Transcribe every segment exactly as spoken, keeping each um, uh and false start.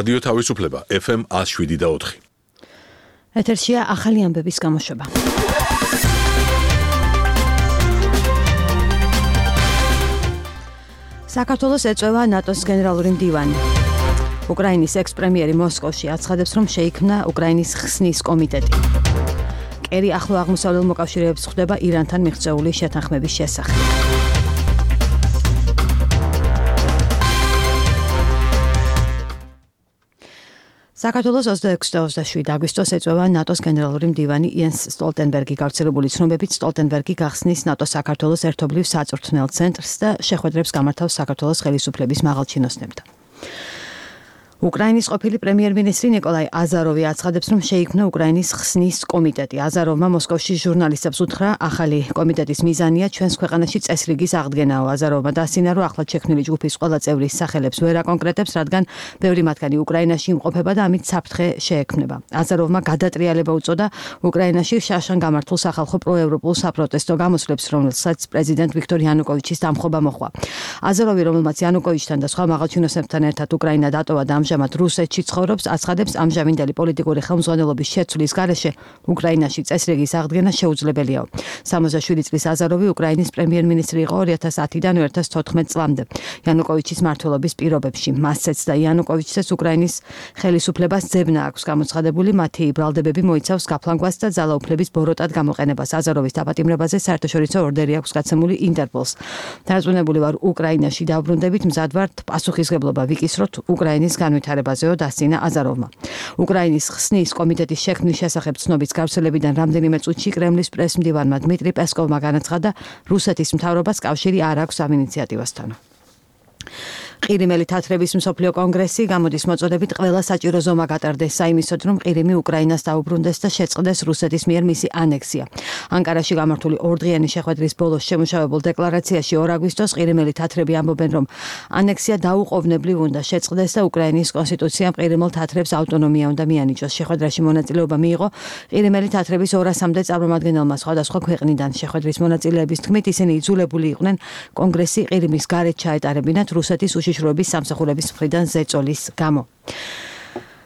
რადიო თავისუფლება ეფ ემ one oh seven და four. ეთერშია ახალი ამბების გამოშვება. საქართველოს ეწევა ნატოს გენერალური მდივანი. უკრაინის ექს-პრემიერი მოსკოვში აცხადებს, რომ შეიქმნა უკრაინის ხსნის კომიტეტი. კერი ახლო აღმოსავლელ მოკავშირეებს ხვდება ირანთან მიღწეული შეთანხმების შესახებ. საქართველოს ოცდაექვსი და ოცდაშვიდი აგვისტოს ეწევა ნატოს გენერალური მდივანი იენს სტოლტენბერგი. გავრცელებული ცნობებით სტოლტენბერგი გახსნის ნატოს საქართველოს ერთობლივ საწვრთნელ ცენტრს და შეხვედრებს გამართავს საქართველოს ხელისუფლების მაღალჩინოსნებთან. უკრაინის ყოფილი პრემიერ-მინისტრი ნიკოლაი აზაროვი აცხადებს, რომ შეიქმნა უკრაინის ხსნის კომიტეტი. აზაროვმა მოსკოვში ჟურნალისტებს უთხრა, ახალი კომიტეტის მიზანია ჩვენს ქვეყანაში წესრიგის აღდგენაო. აზაროვმა დასცინა, რომ ახლად შექმნილი ჯგუფის ყველა წევრის სახელებს ვერ აკონკრეტებს, რადგან ბევრი მათგანი უკრაინაში იმყოფება და ამით საფრთხე შეექმნება. აზაროვმა გადატრიალება უწოდა უკრაინაში შაშან გამართულ სახალხო პროევროპულ საპროტესტო გამოსვლებს, რომელსაც პრეზიდენტ ვიქტორ იანუკოვიჩის დამხობა მოჰყვა. აზაროვი, რომელმაც იანუკოვიჩთან და სხვა მაღალჩინოსნებთან ერთად უკრაინა დატოვა და ამჟამად რუსეთში ცხოვრობს, აცხადებს, ამჟამინდელი პოლიტიკური ხელმძღვანელობის შეცვლის გარეშე უკრაინაში წესრიგის აღდგენა შეუძლებელიაო. სამოცდაშვიდი წლის აზაროვი უკრაინის პრემიერ-მინისტრი იყო ორი ათას ათიდან ორი ათას თოთხმეტ წლამდე. იანუკოვიჩის მმართველობის პირობებში მასცეც და იანუკოვიჩს უკრაინის ხელისუფლებას ძებნა აქვს გამოცხადებული, მათი ბრალდებები მოიცავს გაფლანგვას და ძალაუფლების ბოროტად გამოყენებას. აზაროვის დაპატიმრებაზე საერთაშორისო ორდერი აქვს გაცემული ინტერპოლს. დარწმუნებული ვარ, უკრაინაში დავბრუნდებით, მზად ვართ პასუხისმგებლობა ვიკისროთ უკრაინის განვითარებაზეო, დასცინა აზაროვმა. უკრაინის ხსნის კომიტეტის შექმნის შესახებ ცნობის გავრცელებიდან რამდენიმე წუთში კრემლის პრესმდივანმა დმიტრი პესკოვმა განაცხადა, რუსეთის მთავრობას კავშირი არ აქვს ამ ინიციატივასთან. ყირიმელი თათრების მსოფლიო კონგრესი გამოდის მოწოდებით ყველა საჭირო ზომა გატარდეს საიმისოდ, რომ ყირიმი უკრაინას დაუბრუნდეს და შეწყდეს რუსეთის მიერ მისი ანექსია. ანკარაში გამართული ორდღიანი შეხვედრის ბოლოს შემუშავებულ დეკლარაციაში ორ აგვისტოს ყირიმელი თათრები ამბობენ, რომ ანექსია დაუყოვნებლივ უნდა შეწყდეს და უკრაინის კონსტიტუციამ ყირიმელ თათრებს ავტონომია უნდა მიანიჭოს. შეხვედრაში მონაწილეობა მიიღო ყირიმელი თათრების ორასამდე წარმომადგენელმა სხვადასხვა ქვეყნიდან. შეხვედრის მონაწილეების თქმით, ისინი იძულებული იყვნენ კონგრესი ყირიმის გარეთ ჩაეტარებინათ რუსეთის უშიშროების სამსახურების მხრიდან ზეწოლის გამო.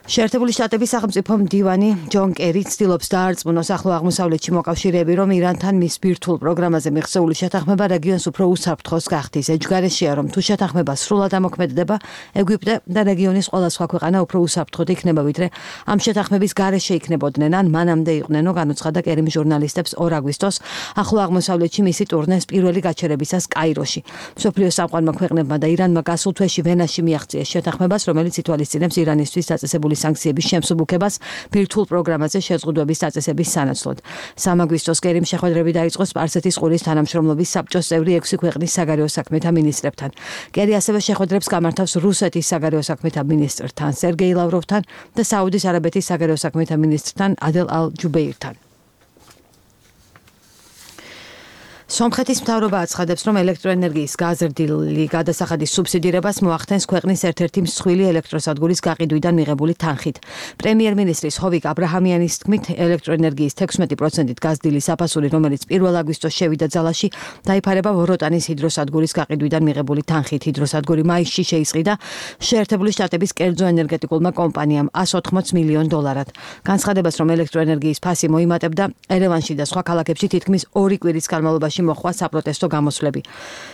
შეერთებული შტატების სახელმწიფო მდივანი ჯონ კერი ცდილობს დაარწმუნოს ახლო აღმოსავლეთში მოკავშირეები, რომ ირანთან მის ბირთვულ პროგრამაზე მიღწეული შეთანხმება რეგიონს უფრო უსაფრთხოს გახდის. ეჯგარეშია, რომ თუ შეთანხმება სრულად ამოქმედება, ეგვიპტე და რეგიონის ყველა სხვა ქვეყანა უფრო უსაფრთხოდ იქნება, ვიდრე ამ შეთანხმების გარეშე იქნებოდნენ, ან მანამდე იყვნენო, განუცხადა კერიმ ჟურნალისტებს ორ აგვისტოს ახლო აღმოსავლეთში მისი ტურნეს პირველი გაჩერებისას კაიროში. მსოფლიოს სამყარომა ქვეყნებმა და ირანმა გასულ თვეში ვენაში მიაღწიეს შეთანხმებას, რომელიც ითვალისწინებს ირანისთვის დაწესებული სანქციების შემსუბუქებას ბირთვულ პროგრამაზე შეზღუდვების დაწესების სანაცვლოდ. სამ აგვისტოს კერიმ შეხვედრები დაიწყო სპარსეთის ყურის თანამშრომლობის საბჭოს წევრი ექვსი ქვეყნის საგარეო საქმეთა მინისტრებთან. კერი ასევე შეხვედრებს გამართავს რუსეთის საგარეო საქმეთა მინისტრთან სერგეი ლავროვთან და საუდის არაბეთის საგარეო საქმეთა მინისტრთან ადელ ალ-ჯუბეირთან. სომხეთის მთავრობა აცხადებს, რომ ელექტროენერგიის გაზრდილი გადასახადის სუბსიდირებას მოახდენს ქვეყნის ერთ-ერთი მსხვილი ელექტროსადგურის გაყიდვიდან მიღებული თანხით. პრემიერ-მინისტრის ჰოვიკ აბრაჰამიანის თქმით, ელექტროენერგიის თექვსმეტი პროცენტით გაზრდილი საფასური, რომელიც პირველ აგვისტოს შევიდა ძალაში, დაიფარება ვოროტანის ჰიდროსადგურის გაყიდვიდან მიღებული თანხით. ჰიდროსადგური მაისში შეისყიდა შეერთებული შტატების კერძო ენერგეტიკულმა კომპანიამ εκατს ოთხმოც მილიონ დოლარად. განცხადებას, რომ ელექტროენერგიის ფასი მოიმატებდა, ერევანში და სხვა ქალაქებში თითქმის ორი კვირის განმავლობაში მოხდა საპროტესტო გამოსვლები.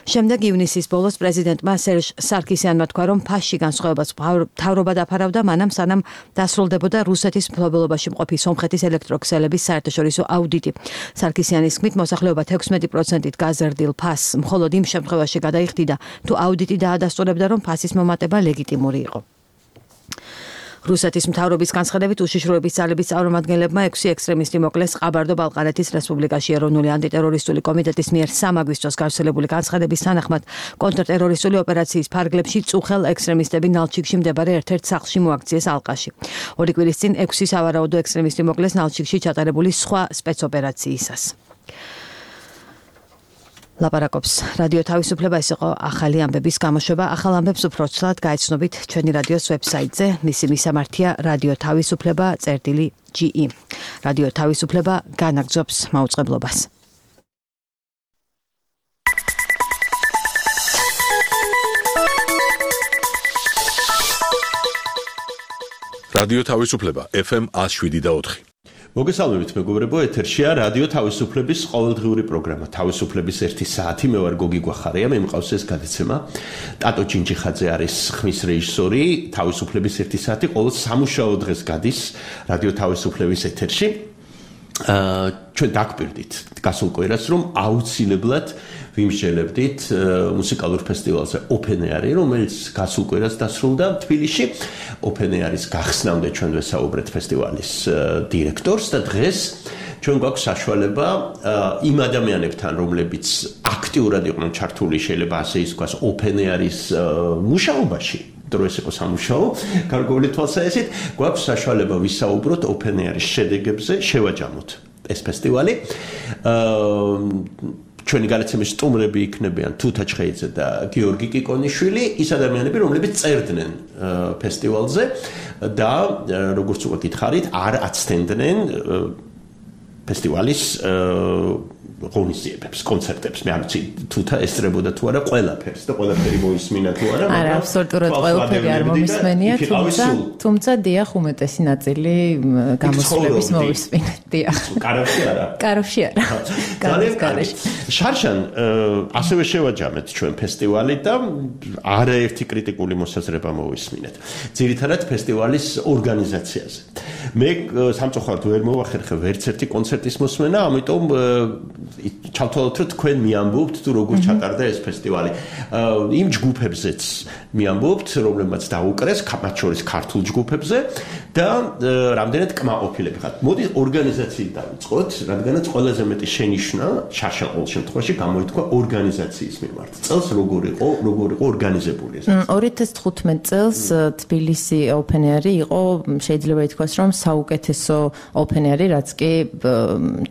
შემდეგ ივნისის ბოლოს პრეზიდენტმა სერჟ სარკისიანმა თქვა, რომ ფასში განსხვავებას მთავრობა დაფარავდა, მანამ სანამ დასრულდებოდა რუსეთის მფლობელობაში მყოფი სომხეთის ელექტროქსელების საერთაშორისო აუდიტი. სარკისიანის თქმით, მოსახლეობა თექვსმეტი პროცენტით გაზრდილ ფასს მხოლოდ იმ შემთხვევაში გადაიხდიდა, თუ აუდიტი დაადასტურებდა, რომ ფასის მომატება ლეგიტიმური იყო. რუსეთის მთავრობის განცხადებით, უშიშროების ძალების წარმომადგენლებმა ექვსი ექსტრემისტი მოკლეს ყაბარდო-ბალყარეთის რესპუბლიკაში. ეროვნული ანტიტერორისტული კომიტეტის მიერ სამ აგვისტოს გავრცელებული განცხადების თანახმად, კონტრტერორისტული ოპერაციის ფარგლებში წუხელ ექსტრემისტები ნალჩიკში მდებარე ერთ-ერთ სახლში მოაქციეს ალყაში. ორი კვირის წინ ექვსი სავარაუდო ექსტრემისტი მოკლეს ნალჩიკში ჩატარებული სხვა სპეცოპერაციისას. ლაპარაკობს რადიო თავისუფლება, ეს იყო ახალი ამბების გამოშვება. ახალ ამბებს უფრო ცვლად გაეცნობით ჩვენი რადიოს ვებსაიტზე. მისი მისამართია რადიო თავისუფლება წერტილი ჯი ი. რადიო თავისუფლება განაგრძობს მაუწყებლობას. რადიო თავისუფლება ეფ ემ one oh seven და four. მოგესალმებით მეგობრებო, ეთერშია რადიო თავისუფლების ყოველდღიური პროგრამა თავისუფლების ერთი საათი. მე ვარ გოგი გვახარია, მე მყავს ეს გადაცემა. ტატო ჭინჭიხაძე არის ხმის რეჟისორი. თავისუფლების ერთი საათი ყოველ სამუშაო დღეს გადის რადიო თავისუფლების ეთერში. აა ჩვენ დაგპირდით გასულ კვირას, რომ აუცილებლად ვიმსჯელებდით მუსიკალურ ფესტივალზე Open Air-ი, რომელიც გასულ კვირას დასრულდა თბილისში. Open Air-ის გახსნამდე ჩვენ ვესაუბრეთ ფესტივალის დირექტორს და დღეს ჩვენ გვაქვს საშუალება იმ ადამიანებთან, რომლებიც აქტიურად იყვნენ ჩართული, შეიძლება ასე ისქვას, Open Air-ის მუშაობაში. დროის იყო სამუშაო, გარკვეული თვალსაზრისით, გვაქვს საშუალება ვისაუბროთ Open Air-ის შედეგებზე, შევაჯამოთ ეს ფესტივალი. აა ჩვენი განაცემის სტუმრები იქნებიან თუთა ჩხეიძე და გიორგი კიკონიშვილი, ის ადამიანები, რომლებიც წერდნენ ფესტივალზე და როგორც უკვე გითხარით, არ აცდენდნენ ფესტივალის ღონისძიებებს, კონცერტებს. მე არ ვიცი თუთა ესწრებოდა თუ არა ყველაფერს და ყველაფერი მოისმინა თუ არა. არა, აბსოლუტურად ყველაფერი არ მომისმენია, თუმცა თუმცა დიახ, უმეტესი ნაწილი გამოსვლების მოვისმინეთ, დიახ. კარავში არა. კარავში არა. ძალიან კარგი. შარშან ასევე შევაჯამეთ ჩვენ ფესტივალი და არაერთი კრიტიკული მოსაზრება მოვისმინეთ. ძირითადად ფესტივალის ორგანიზაციაზე. მე სამწუხაროდ ვერ მოვახერხე ვერც ერთი კონცერტის მოსმენა, ამიტომ ჩავთვალოთ, რომ თქვენ მიამბობთ თუ როგორ ჩატარდა ეს ფესტივალი. იმ ჯგუფებზეც მიამბობთ, რომლებმაც დაუკრეს, მათ შორის ქართულ ჯგუფებზე და რამდენად კმაყოფილები ხართ. მოდი ორგანიზაციით დავიწყოთ, რადგანაც ყველაზე მეტი შენიშვნა შარშან ყოველ შემთხვევაში გამოითქვა ორგანიზაციის მიმართ. წელს როგორ იყო, როგორ იყო ორგანიზებული ეს? ორი ათას თხუთმეტ წელს თბილისი Open Air-ი იყო, შეიძლება ითქვას, რომ საუკეთესო Open Air-ი, რაც კი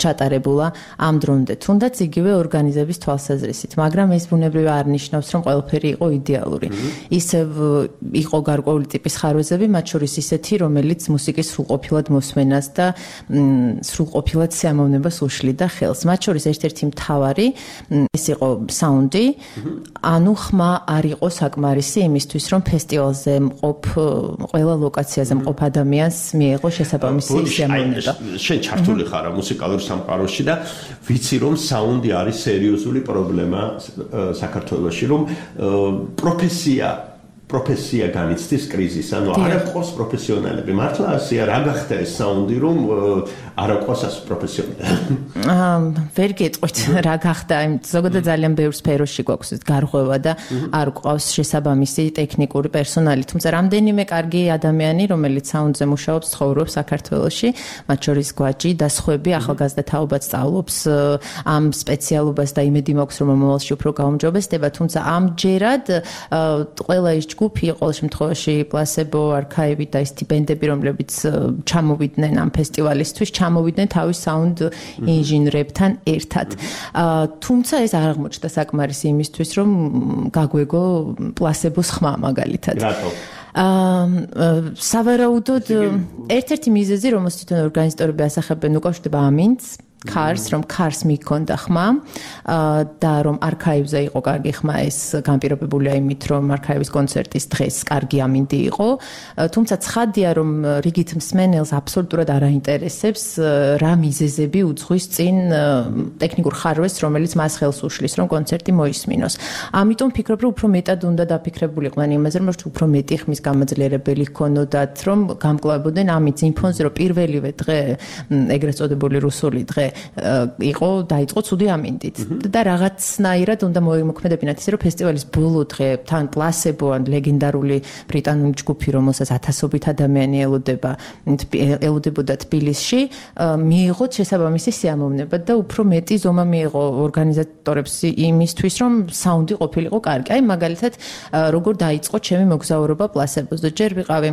ჩატარებულა ამ დრომდე. თუნდაც იგივე ორგანიზების თვალსაზრისით, მაგრამ ეს ბუნებრივად არ ნიშნავს, რომ ყველაფერი იყო იდეალური. ისევ იყო გარკვეული ტიპის ხარვეზები, მათ შორის ისეთი, რომელიც მუსიკის სრულყოფილად მოსმენას და სრულყოფილად სიამოვნებას უშლიდა ხელს. მათ შორის ერთ-ერთი მთავარი ეს იყო საუნდი, ანუ ხმა არ იყო საკმარისი იმისთვის, რომ ფესტივალზე მყოფ ყველა ლოკაციაზე მყოფ ადამიანს მიეღო შესაბამისი სიამოვნება. შენ ჩართული ხარ მუსიკალურ სამყაროში და ვიცი, რომ საუნდი არის სერიოზული პრობლემა საქართველოში, რომ პროფესია პროფესია განიცდის კრიზისს, ანუ არ აქვს პროფესიონალები. მართლა ასეა, რა გახდა ეს საუნდი, რომ არ აქვს ას პროფესიონალები? აა, ვერ გეტყვით რა გახდა, ზოგადად ძალიან ბევრ სფეროში გვაქვს გარღვევა და არ გვყავს შესაბამისი ტექნიკური პერსონალი, თუმცა რამდენიმე კარგი ადამიანი, რომელიც საუნდზე მუშაობს, ცხოვრობს საქართველოში, მათ შორის გვაჭი და სხვები, ახალგაზრდა თაობაც სწავლობს ამ სპეციალობას და იმედი მაქვს, რომ მომავალში უფრო გაუმჯობესდება, თუმცა ამჯერად ყველა ის ჯგუფი, ყოველ შემთხვევაში პლასებო, არქაივი და ის ბენდები, რომლებიც ჩამოვიდნენ ამ ფესტივალისთვის, ჩამოვიდნენ თავის საუნდ ინჟინრებთან ერთად. თუმცა ეს არ აღმოჩნდა საკმარისი იმისთვის, რომ გაგვეგო პლასებოს ხმა მაგალითად. რატო? აა სავარაუდოდ ერთ-ერთი მიზეზი, რომელსაც თვითონ ორგანიზატორები ასახებენ, უკავშირდება ამინდს. Cars, რომ Cars მიქონდა ხმა და რომ არქაივზე იყო კარგი ხმა, ეს განპირობებულია იმით, რომ არქაივის კონცერტის დღეს კარგი ამინდი იყო, თუმცა ცხადია, რომ რიგით მსმენელს აბსოლუტურად არ აინტერესებს რა მიზეზები უძღვის წინ ტექნიკურ ხარვეს, რომელიც მას ხელს უშლის, რომ კონცერტი მოისმინოს. ამიტომ ფიქრობ, რომ უფრო მეტად უნდა დაფიქრებულიყვნენ იმაზე, რომ უფრო მეტი ხმის გამოძლიერებელი ჰქონოდათ, რომ გამკლავებოდნენ ამით იმ ფონზე, რომ პირველივე დღე, ეგრეთ წოდებული რუსული დღე იყო დაიწყო ცუდი ამინდით და რაღაცნაირად უნდა მოიმოქმედებინათ ისე რომ ფესტივალის ბოლო დღე თან პლასებო ან ლეგენდარული ბრიტანული ჯგუფი რომელსაც ათასობით ადამიანი ელოდება ელოდებოდა თბილისში მიიღოთ შესაბამისი სიამოვნება და უფრო მეტი ზომა მიიღო ორგანიზატორებს იმისთვის რომ საუნდი ყოფილიყო კარგი. აი მაგალითად როგორ დაიწყო ჩემი მოგზაურობა პლასებოზე. ჯერ ვიყავი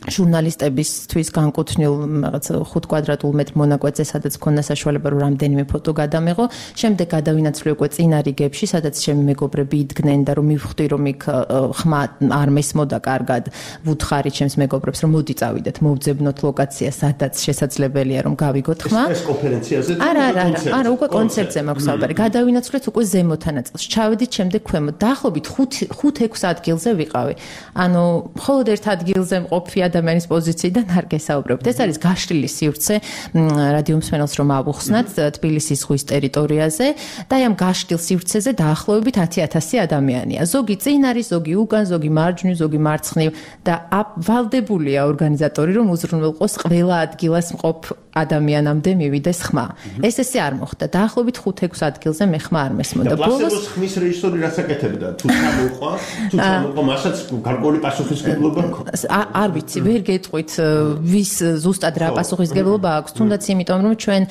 ჟურნალისტებისთვის განკუთვნილ რაღაც ხუთ კვადრატულ მეტრ მონაკვეთზე, სადაც მქონდა საშუალება რომ რამდენიმე ფოტო გადამეღო. შემდეგ გადავინაცვლე უკვე წინა რიგებში, სადაც ჩემი მეგობრები იდგნენ და რომ მივხვდი რომ იქ ხმა არ მესმოდა კარგად. ვუთხარი ჩემს მეგობრებს რომ მოდი წავიდეთ, მოვძებნოთ ლოკაცია, სადაც შესაძლებელია რომ გავიგოთ ხმა. ეს კონფერენციაზე და არა, არა, არა, უკვე კონცერტზე მაქვს საუბარი. გადავინაცვლეთ უკვე ზემოთა ნაწილში. ჩავედით შემდეგ ქვემოთ. დაახლოებით ხუთ ექვს ადგილზე ვიყავი. ანუ მხოლოდ ერთ ადგილზე მყოფი ადამიანის პოზიციიდან არ გესაუბრებთ. ეს არის გაშლილი სივრცე რადიო მსმენელს რომ ავუხსნათ თბილისის ზღვის ტერიტორიაზე და აი ამ გაშლილ სივრცეზე დაახლოებით ათი ათასი ადამიანია. ზოგი წინ არის, ზოგი უკან, ზოგი მარჯვნივ, ზოგი მარცხნივ და ვალდებულია ორგანიზატორი რომ უზრუნველყოს ყველა ადგილას მყოფ ადამიანამდე მივიდეს ხმა. ეს ესე არ მოხდა. დაახლოებით ხუთ ექვს ადგილზე მე ხმა არ მესმოდა. და პლასებოს ხმის რეჟისორი რას აკეთებდა? თუ წამოყვა, თუ წამოყვა, მასაც გარკვეული პასუხისმგებლობა აქვს. არ ვიცი, ვერ გეტყვით ვის ზუსტად რა პასუხისმგებლობა აქვს, თუნდაც იმიტომ რომ ჩვენ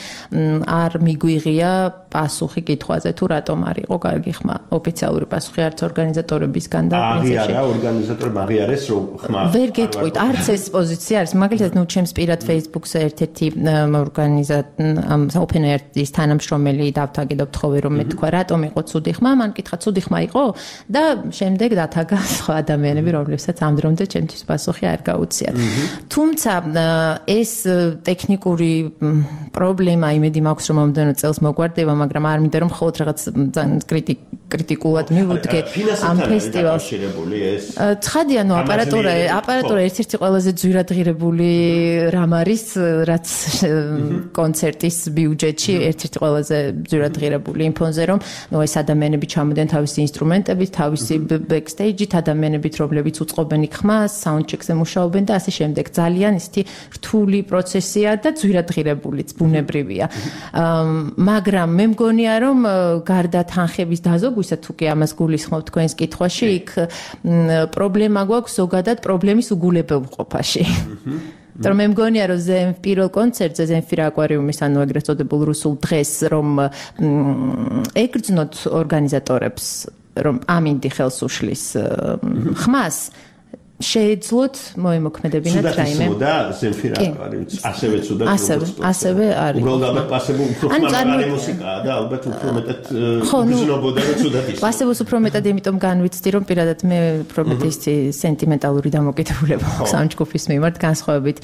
არ მიგვიღია პასუხი კითხვაზე თუ რატომ არ იყო კარგი ხმა. ოფიციალური პასუხი არც ორგანიზატორებისგან და პრინციპში არა ორგანიზატორებმა აღიარეს რომ ხმა ვერ გეტყვით, არც ეს პოზიცია არის. მაგალითად, ნუ ჩემს პირად Facebook-ზე ერთ-ერთი ორგანიზატორი Open Air-ის თანამშრომელი დავთაგედობ თხოვე რომ მე თქვა რატომ იყო ცუდი ხმა, მან კითხა ცუდი ხმა იყო და შემდეგ დათაგა სხვა ადამიანები, რომლებსაც ამ დრომდე ჩემთვის პასუხი არ გაუციათ. თუმცა ეს ტექნიკური პრობლემა იმედი მაქვს რომ მომდენო წელს მოგვარდება, მაგრამ არ მინდა რომ მხოლოდ რაღაც კრიტიკულად მივუდგე ამ ფესტივალს. ცხადია, ნუ აპარატურა, აპარატურა ერთ-ერთი ყველაზე ძვირადღირებული რამ არის, რაც კონცერტის ბიუჯეტში ერთ-ერთი ყველაზე ძვირადღირებული იმ ფონზე, რომ ნუ ეს ადამიანები ჩამოდიან თავისი ინსტრუმენტებით, თავისი ბექსტეიჯით, ადამიანებით, რომლებიც უწყობენ იქ ხმას, საუნდჩეკზე მუშაობენ და ასე შემდეგ. ძალიან ისეთი რთული პროცესია და ძვირადღირებულიც, ბუნებრივია. მაგრამ მე მგონია, რომ გარდა თანხების დაზოგვისა, თუ კი ამას გულისხმობთ თქვენს კითხვაში, იქ პრობლემა გვაქვს ზოგადად პრობლემის უგულებელყოფაში. Რომ მე მგონია რომ ზემ პირველ კონცერტზე ზემფირ აკვარიუმის ანუ ეგრეთ წოდებულ რუსულ დღეს რომ ეკრძნოთ ორგანიზატორებს რომ ამინდი ხელს უშლის ხმას შეეძლოთ მოემოქმედებინათ რაიმე. და ზემფირ აკვარიუმის ასევე ცუდად ასევე ასევე არის. უბრალოდ პლასებო უფრო ხმარი მუსიკაა და ალბათ უფრო მეტად გრძნობოდა და ცუდად ის. პლასებოს უფრო მეტად იმიტომ განვიცდი რომ პირადად მე უფრო მეტი სენტიმენტალური დამოკიდებულება აქვს ამ ჯგუფის მიმართ განსხვავებით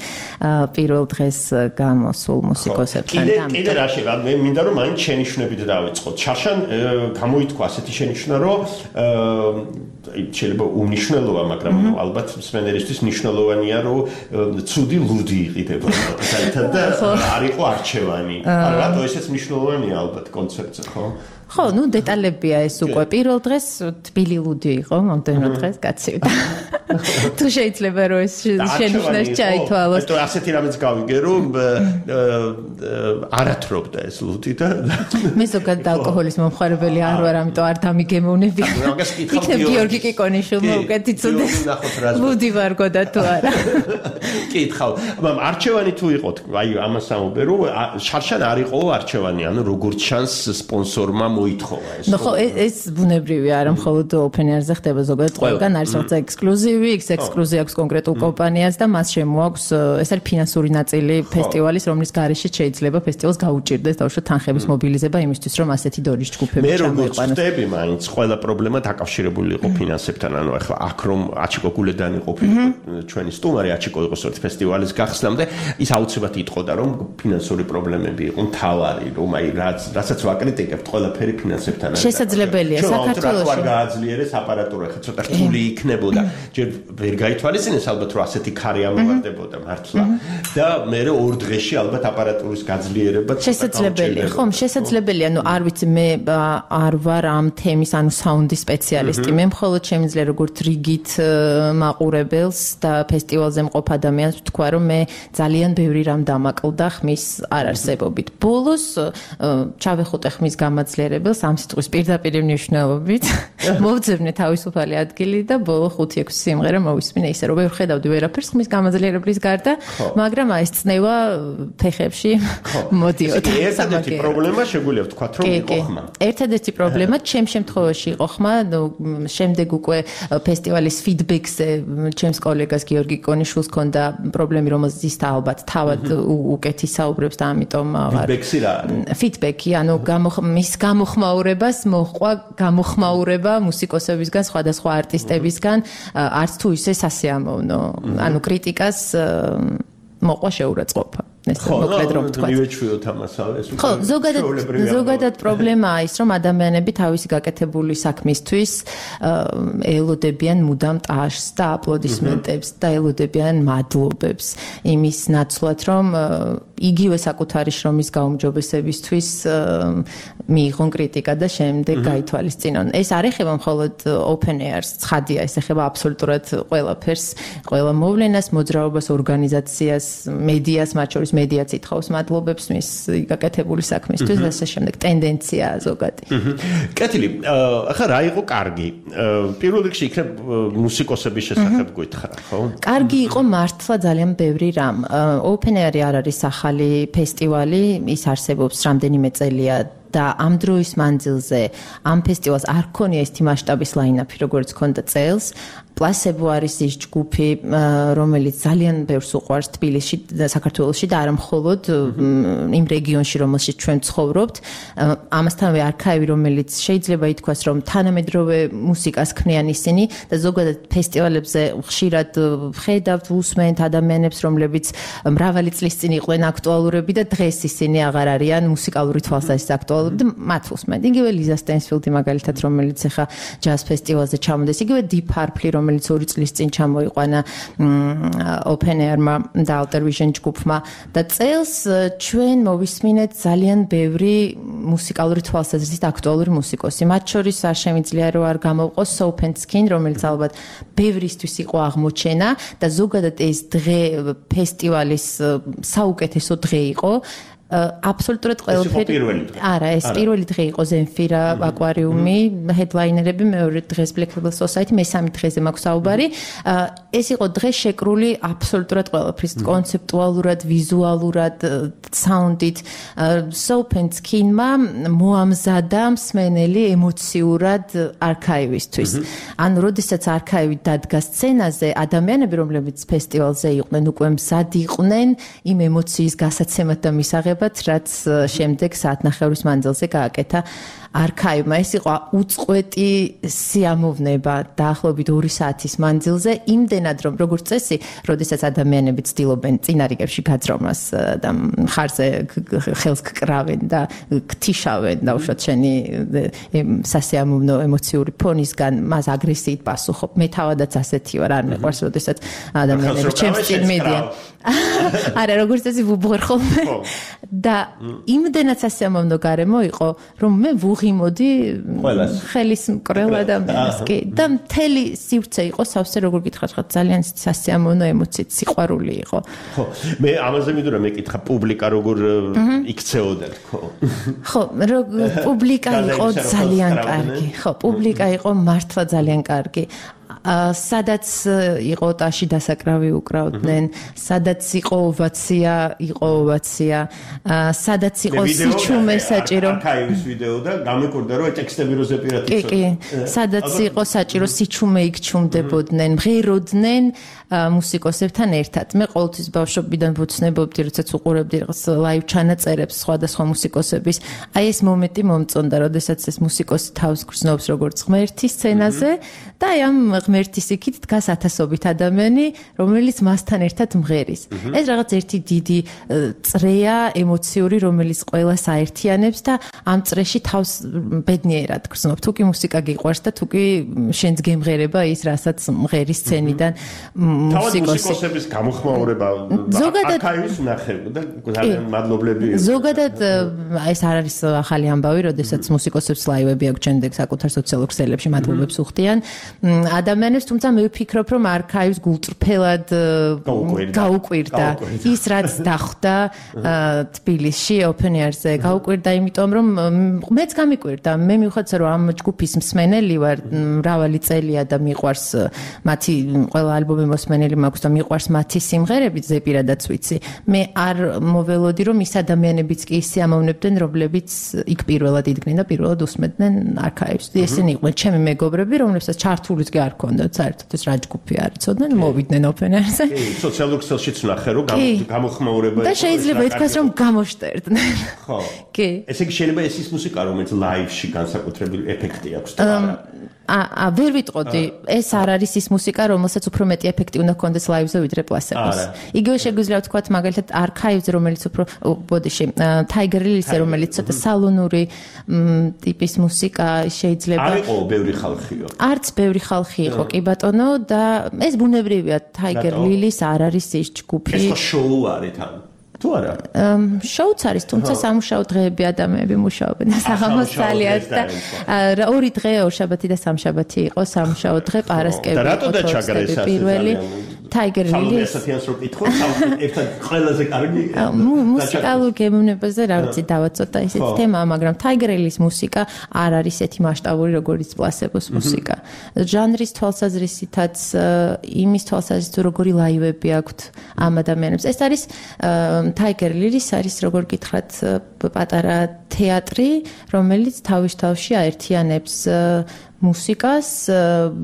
პირველ დღეს გამოსულ მუსიკოსებთან. კიდე რა შეიძლება მე მინდა რომ მაინც შენიშვნებით დავიწყოთ. შარშან გამოითქვა ასეთი შენიშვნა რომ შეიძლება უმნიშვნელოა, მაგრამ ალბათ მსმენელისთვის მნიშვნელოვანია, რომ ცუდი ლუდი იყიდება საერთოდ და არ იყო არჩევანი. არა, რატო ესეც მნიშვნელოვანია ალბათ კონცერტზე, ხო? ხო, ნუ დეტალებია ეს უკვე. პირველ დღეს თბილი ლუდი იყო, მომდევნო დღეს გაცივდა. თუ შეიძლება რომ ეს შენიშვნაში ჩაითვალოს. ეტო ასეთი რამეც გავიგე, რომ არათრობდა ეს ლუდი და მე ზოგადად ალკოჰოლის მომხარებელი არ ვარ, ამიტომ არ დამიგემოვნები. იქნებ გიორგი კიკონიშვილმა უკეთ იცოდეს. ლუდი ვარ გოდა თუ არა. კითხავ, მაგრამ არჩევანი თუ იყო, აი ამას ამობე, რომ შარშან არ იყო არჩევანი, ანუ როგორც ჩანს სპონსორმა მოითხოვა ეს. ნუ ხო ეს ბუნებრივია, არა მხოლოდ Open Air-ზე ხდება ზოგადად ყველგან არის რაღაცა ექსკლუზივი, ეს ექსკლუზია აქვს კონკრეტულ კომპანიას და მას შემოაქვს ეს არის ფინანსური ნაწილი ფესტივალის, რომლის გარეშეც შეიძლება ფესტივალს გაუჭირდეს დაუშვათ თანხების მობილიზება იმისთვის, რომ ასეთი დონის ჯგუფები ჩამოიყვანოს. მე როგორც ვთები, მაინც ყველა პრობლემა დაკავშირებული იყო ფინანსებთან, ანუ ახლა აქ რომ აჩიკო გულედანი ყოფილიყო ჩვენი სტუმარი აჩიკო იყოს ერთ ფესტივალის გახსნამდე, ის აუცილებლად იტყოდა, რომ ფინანსური პრობლემები იყო მთავარი, რომ აი რაც რასაც ვაკრიტიკებთ, ყველაფერი ფინანსებთან არის. შესაძლებელია საქართველოში. რა გააძლიერეს აპარატურა, ხა ცოტა რთული იქნებოდა. ჯერ ვერ გაითვალისწინეს ალბათ რომ ასეთი ქარი ამოვარდებოდა მართლა და მე ორ დღეში ალბათ აპარატურის გაძლიერება შესაძლებელია. ხომ, შესაძლებელია, ნუ არ ვიცი, მე არ ვარ ამ თემის, ანუ საუნდის სპეციალისტი. მე მხოლოდ შემიძლია როგორც რიგით მაყურებელს და ფესტივალზე მყოფ ადამიანს ვთქვა, რომ მე ძალიან ბევრი რამ დამაკლდა ხმის არარსებობით. ბოლოს ჩავეხუტე ხმის გამაძლიერებელს ამ სიტყვის პირდაპირ მნიშვნელობით. მოვძებნე თავისუფალი ადგილი და ბოლო ხუთი ექვსი სიმღერა მოვისმინე ისე რომ ვერ ხედავდი ვერაფერს ხმის გამაძლიერებლის გარდა, მაგრამ აი ეს წნევა ფეხებში მოდიოდა. ერთადერთი პრობლემა შეგვიძლია ვთქვათ რომ იყო ხმა. ერთადერთი პრობლემა ჩემ შემთხვევაში იყო ხმა, შემდეგ უკვე ფესტივალის ფიდბექზე ჩემს კოლეგას გიორგი კონიშვილს ჰქონდა პრობლემი, რომელზეც ის ალბათ თავად უკეთი საუბრებს და ამიტომ ფიდბექსი რა არის? ფიდბექი, ანუ მის გამოხმაურებას მოჰყვა გამოხმაურება მუსიკოსებისგან, სხვადასხვა არტისტებისგან, არც თუ ისე სასიამოვნო. ანუ კრიტიკას მოყვა შეურაცხყოფა. ეს მოკლედ რომ ვთქვა. მივეჩვიოთ ამასავე ეს. ხო, ზოგადად ზოგადად პრობლემაა ის, რომ ადამიანები თავისი გაკეთებული საქმისთვის ელოდებიან მუდამ ტაშს და აპლოდისმენტებს და ელოდებიან მადლობებს იმის ნაცვლად, რომ იგივე საკუთარი შრომის გაუმჯობესებისთვის მიიღონ კრიტიკა და შემდეგ გაითვალისწინონ. ეს არ ეხება მხოლოდ open air-ს, ცხადია, ეს ეხება აბსოლუტურად ყველაფერს, ყველა მოვლენას, მოძრაობას, ორგანიზაციას, მედიას, მათ შორის მედიაც ითხოვს მადლობებს მის გაკეთებული საქმისთვის და ასე შემდეგ. ტენდენციაა ზოგადი. კეთილი, ახლა რა იყო კარგი? პირველ რიგში იქნებ მუსიკოსების შესახებ გითხრა, ხო? კარგი იყო მართლა ძალიან ბევრი რამ. open air-ი არ არის ახალი ფესტივალი, ის არსებობს რამდენიმე წელია და ამ დროის მანძილზე ამ ფესტივალს არ ქონია ისეთი მასშტაბის ლაინაპი, როგორც ქონდა წელს. პლასებო არის ის ჯგუფი, რომელიც ძალიან ბევრს უყვარს თბილისში და საქართველოში და არა მხოლოდ იმ რეგიონში, რომელშიც ჩვენ ცხოვრობთ. ამასთანავე არქაივი, რომელიც შეიძლება ითქვას, რომ თანამედროვე მუსიკას ქმნიან ისინი და ზოგადად ფესტივალებზე ხშირად ხედავთ, უსმენთ ადამიანებს, რომლებიც მრავალი წლის წინ იყვნენ აქტუალურები და დღეს ისინი აღარ არიან მუსიკალური თვალსაზრისით აქტუალურები და მათ უსმენთ. იგივე ლიზა სტენსფილდი მაგალითად, რომელიც ახლა ჯაზ ფესტივალზე ჩამოდის, იგივე Deep Purple, რომელიც ორი წლის წინ ჩამოიყვანა open air-მა და Alter Vision ჯგუფმა და წელს ჩვენ მოვისმინეთ ძალიან ბევრი მუსიკალური თვალსაზრისით აქტუალური მუსიკოსი. მათ შორის არ შემიძლია რომ არ გამოვყოს Soap and Skin, რომელიც ალბათ ბევრისთვის იყო აღმოჩენა და ზოგადად ეს დღე ფესტივალის საუკეთესო დღე იყო. აბსოლუტურად ყველაფერი. არა, ეს პირველი დღე იყო Zenfira აკვარიუმი, ჰედლაინერები, მეორე დღეს Black Label Society, მესამე დღეზე მაქვს საუბარი. ეს იყო დღე შეკრული აბსოლუტურად ყველაფრის, კონცეპტუალურად, ვიზუალურად, საუნდით. Soap and Skin-მა მოამზადა მსმენელი ემოციურად არქაივისთვის. ანუ როდესაც არქაივი დადგა სცენაზე, ადამიანები, რომლებიც ფესტივალზე იყვნენ, უკვე მზად იყვნენ იმ ემოციის გასაცემად და მისაღებად, რაც შემდეგ საათნახევრის მანძილზე გააკეთა არქაივმა. ეს იყო უწყვეტი სიამოვნება დაახლოებით ორი საათის მანძილზე, იმდენად რომ როგორც წესი, როდესაც ადამიანები ცდილობენ წინა რიგებში გაძრომას და ხარზე ხელს გკრავენ და გთიშავენ და უშოთ შენი სასიამოვნო ემოციური ფონისგან მას აგრესიით პასუხობ. მე თავადაც ასეთი ვარ, არ მეყვარს, როდესაც ადამიანები ჩემს წინ მიდიან. არა, როგორც წესი ვუბღერ ხოლმე. და იმდენად სასიამოვნო გარემო იყო, რომ მე ვუღიმოდი ხელის მკრელ ადამიანს კი და მთელი სივრცე იყო სავსე, როგორ გითხრათ, ხა ძალიან სასიამოვნო ემოციით, სიყვარული იყო. ხო, მე ამაზე მინდოდა მეკითხა, პუბლიკა როგორ იქცეოდა, ხო? ხო, პუბლიკა იყო ძალიან კარგი. ხო, პუბლიკა იყო მართლა ძალიან კარგი. სადაც იყო ტაში დასაკრავი უკრავდნენ, სადაც იყო ოვაცია, იყო ოვაცია, სადაც იყო სიჩუმე საჭირო. არქაივის ვიდეო და გამეკვირდა რომ ტექსტები როზე პირად იცოდა. კი, კი, სადაც იყო საჭირო სიჩუმე იქჩუმდებოდნენ, მღეროდნენ მუსიკოსებთან ერთად. მე ყოველთვის ბავშვობიდან ვუცნებობდი, როდესაც უყურებდი რაღაც ლაივ ჩანაწერებს სხვადასხვა მუსიკოსების. აი ეს მომენტი მომწონდა, როდესაც ეს მუსიკოსი თავს გრძნობს როგორც ღმერთი სცენაზე და აი ამ ღმერთის იქით დგას ათასობით ადამიანი, რომელიც მასთან ერთად მღერის. ეს რაღაც ერთი დიდი წრეა ემოციური, რომელიც ყველას აერთიანებს და ამ წრეში თავს ბედნიერად გრძნობ. თუ კი მუსიკა გიყვარს და თუ კი შენს გემღერება ის, რასაც მღერის სცენიდან მუსიკოსი. მუსიკოსების გამოხმაურება არქაივის ნახევ და ძალიან მადლობლები. ზოგადად ეს არ არის ახალი ამბავი, როდესაც მუსიკოსებს ლაივები აქვს შემდეგ საკუთარ სოციალურ ქსელებში მადლობებს უხდიან. ადამიანებს, თუმცა მე ვფიქრობ, რომ არქაივს გულწრფელად გაუკვირდა ის, რაც დახვდა თბილისში open air-ზე. გაუკვირდა იმიტომ, რომ მეც გამიკვირდა. მე მივხვდეთ, რომ ამ ჯგუფის მსმენელი ვარ მრავალი წელია და მიყვარს მათი ყველა ალბომი მოსმენელი მაქვს და მიყვარს მათი სიმღერები, ზეპირადაც ვიცი. მე არ მოველოდი, რომ ის ადამიანებიც კი ისიამოვნებდნენ, რომლებიც იქ პირველად იდგნენ და პირველად უსმენდნენ არქაივს. ესენი იყვნენ ჩემი მეგობრები, რომლებსაც ჩართულიც კი არ ქონდათ საერთოდ ეს რა ჯგუფი არ იცოდნენ, მოვიდნენ open air-ზე. კი, სოციალურ ქსელშიც ნახე, რომ გამოხმაურება და შეიძლება ითქვას, რომ გამოშტერდნენ. ხო. კი. ესე იგი შეიძლება ეს ის მუსიკა, რომელიც ლაივში განსაკუთრებული ეფექტი აქვს და არა. აა ვერ ვიტყოდი, ეს არ არის ის მუსიკა, რომელსაც უფრო მეტი ეფექტი უნდა ჰქონდეს ლაივზე ვიდრე პლასებოს. იგივე შეგვიძლია ვთქვათ, მაგალითად, არქაივზე, რომელიც უფრო ბოდიში, Tiger Lily-ზე, რომელიც ცოტა სალონური ტიპის მუსიკა შეიძლება. არ იყო ბევრი ხალხიო. არც ბევრი ხალხი იყო, კი ბატონო, და ეს ბუნებრივია, Tiger Lily-ს არ არის ის ჯგუფი. ეს შოუ არის თან. თუ არა? შოუც არის, თუმცა სამუშაო დღეები ადამიანები მუშაობენ საღამოს ძალიან და ორი დღეა, ორშაბათი და სამშაბათი იყო სამუშაო დღე, პარასკევი. და რატო და ჩაგრა ეს ასე პირველი Tiger Lily. სამასათიანს რო კითხო, ერთად ყველაზე კარგი მუსიკალურ გემოვნებაზე რა ვიცი დავაცოტა ესეთ თემა, მაგრამ Tiger Lily-ის მუსიკა არ არის ესეთი მასშტაბური, როგორც პლასებოს მუსიკა. ჟანრის თვალსაზრისითაც, იმის თვალსაზრისით, როგორი ლაივები აქვთ ამ ადამიანებს. ეს არის Tiger Lily-ის არის როგორ გითხრათ პატარა თეატრი, რომელიც თავის თავში აერთიანებს მუსიკას,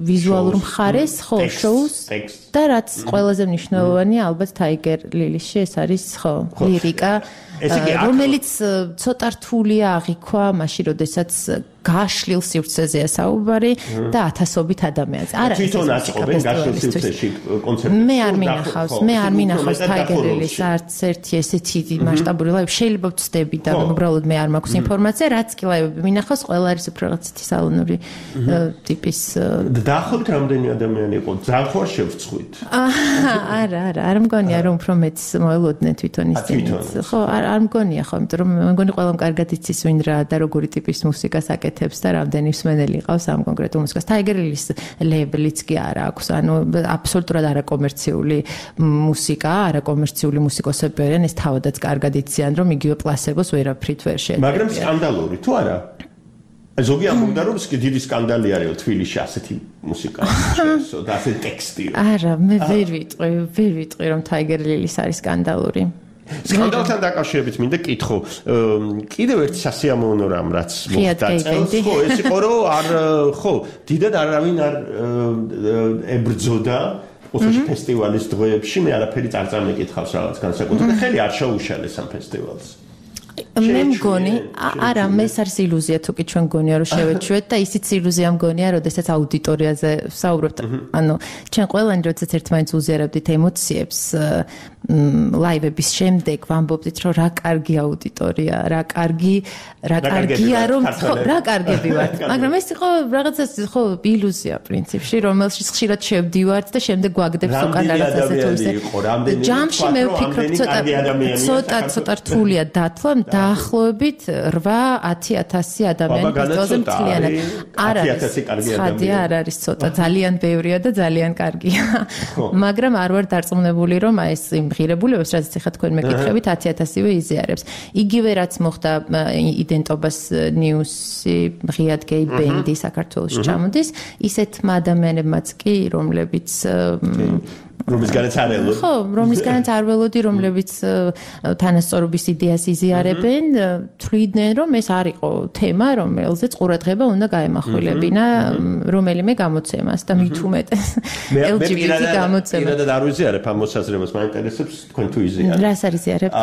ვიზუალურ მხარეს, ხო, შოუს და რაც ყველაზე მნიშვნელოვანია, ალბათ Tiger Lily-ში ეს არის, ხო, ლირიკა, რომელიც ცოტა რთულია აღიქვა, მაშინ როდესაც გაშლილ სივრცეზეა საუბარი და ათასობით ადამიანს. არა, თვითონ აწყობენ გაშლილ სივრცეში კონცერტებს. მე არ მინახავს, მე არ მინახავს Tiger Lily-ს არც ერთი ესეთი მასშტაბური ლაივი. შეიძლება ვწდები და უბრალოდ მე არ მაქვს ინფორმაცია, რაც კი ლაივები მინახავს, ყველა არის უფრო რაღაცეთი სალონური ტიპის. დაახლოებით რამდენი ადამიანი იყო? ძალიან ხარ შევწყვით. არა, არა, არ მგონია რომ უფრო მეც მოელოდნენ თვითონ ისინიც. ხო, არ არ მგონია ხო, იმიტომ რომ მე მგონი ყველამ კარგად იცის ვინ რა და როგორი ტიპის მუსიკას აკეთებს და რამდენი მსმენელი ყავს ამ კონკრეტულ მუსიკას. Tiger Lily-ის ლეიბლიც კი არ აქვს, ანუ აბსოლუტურად არაკომერციული მუსიკა, არაკომერციული მუსიკოსები არიან, ეს თავადაც კარგად იციან, რომ იგივე პლასებოს ვერაფრით ვერ შეეძლება. მაგრამ სკანდალური თუ არა? ზოგი ამბობდა რომ დიდი სკანდალი არის თბილისში ასეთი მუსიკა შეესო და ასეთი ტექსტი. არა, მე ვერ ვიტყვი, ვერ ვიტყვი რომ Tiger Lily-ის არის სკანდალური. სკანდალთან დაკავშირებით მინდა კითხო, კიდევ ერთი სასიამოვნო რამ რაც მოხდა წელს, ხო, ეს იყო რომ არ ხო, დიდად არავინ არ ებრძოდა ოთახი ფესტივალის დღეებში, მე არაფერი არ წამეკითხავს რაღაც განსაკუთრებით, ხელი არ შეუშალეს ამ ფესტივალს. მე მგონი, არა, მე ეს არის ილუზია თუ კი ჩვენ მგონია რომ შევეჩვეთ და ისიც ილუზია მგონია, როდესაც აუდიტორიაზე საუბრობთ. ანუ ჩვენ ყველანი როდესაც ერთმანეთს უზიარებდით ემოციებს, ლაივების შემდეგ ვამბობდით რომ რა კარგი აუდიტორია, რა კარგი, რა კარგია რომ ხო, რა კარგები ვართ. მაგრამ ეს იყო რაღაცას ხო ილუზია პრინციპში, რომელშიც ხშირად შევდივართ და შემდეგ გვაგდებს უკან რაღაცაზე თუ ისე. ჯამში მე ვფიქრობ ცოტა ცოტა ცოტა რთულია დათლა დაახლოებით რვა ათი ათასი ადამიანი ფესტივალზე მთლიანად. არ არის ხადია, არ არის ცოტა, ძალიან ბევრია და ძალიან კარგია. მაგრამ არ ვარ დარწმუნებული რომ აი ეს იმ ღირებულებებს, რაც ეხლა თქვენ მეკითხებით, ათი ათასივე იზიარებს. იგივე რაც მოხდა იდენტობას ნიუსი, ღიად გეი ბენდი საქართველოში ჩამოდის, ისეთმა ადამიანებმაც კი, რომლებიც რომლისგანაც არ ველოდი. ხო, რომლისგანაც არ ველოდი, რომლებიც თანასწორობის იდეას იზიარებენ, თვლიდნენ, რომ ეს არ იყო თემა, რომელზეც ყურადღება უნდა გაემახვილებინა რომელიმე გამოცემას და მით უმეტეს ელ ჯი ბი ტი გამოცემა. მე პირადად არ ვიზიარებ ამ მოსაზრებას, მაინტერესებს თქვენ თუ იზიარებთ. რას არ იზიარებთ?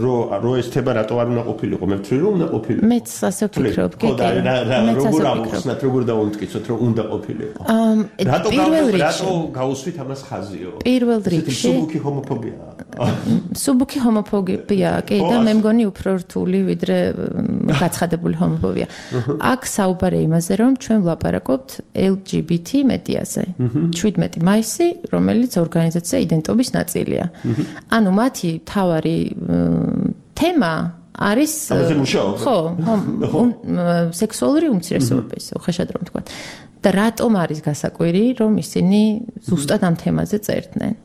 რო რო ეს თემა რატო არ უნდა ყოფილიყო? მე ვთვლი რომ უნდა ყოფილიყო. მეც ასე ვფიქრობ, კი, კი. როგორ ამოვხსნათ, როგორ დავუმტკიცოთ, რომ უნდა ყოფილიყო. რატო რატო გაუსვით ამას ხაზიო? პირველ რიგში სუბუქი ჰომოფობია. სუბუქი ჰომოფობია, კი, და მე მგონი უფრო რთული ვიდრე გაცხადებული ჰომოფობია. აქ საუბარია იმაზე, რომ ჩვენ ვლაპარაკობთ ელ ჯი ბი ტი მედიაზე. შვიდმეტი მაისი, რომელიც ორგანიზაცია იდენტობის ნაწილია. ანუ მათი თავარი თემა არის ხო, სექსუალური უმცირესობები, ისე ხეშად რომ თქვა. და რატომ არის გასაკვირი, რომ ისინი ზუსტად ამ თემაზე წერდნენ?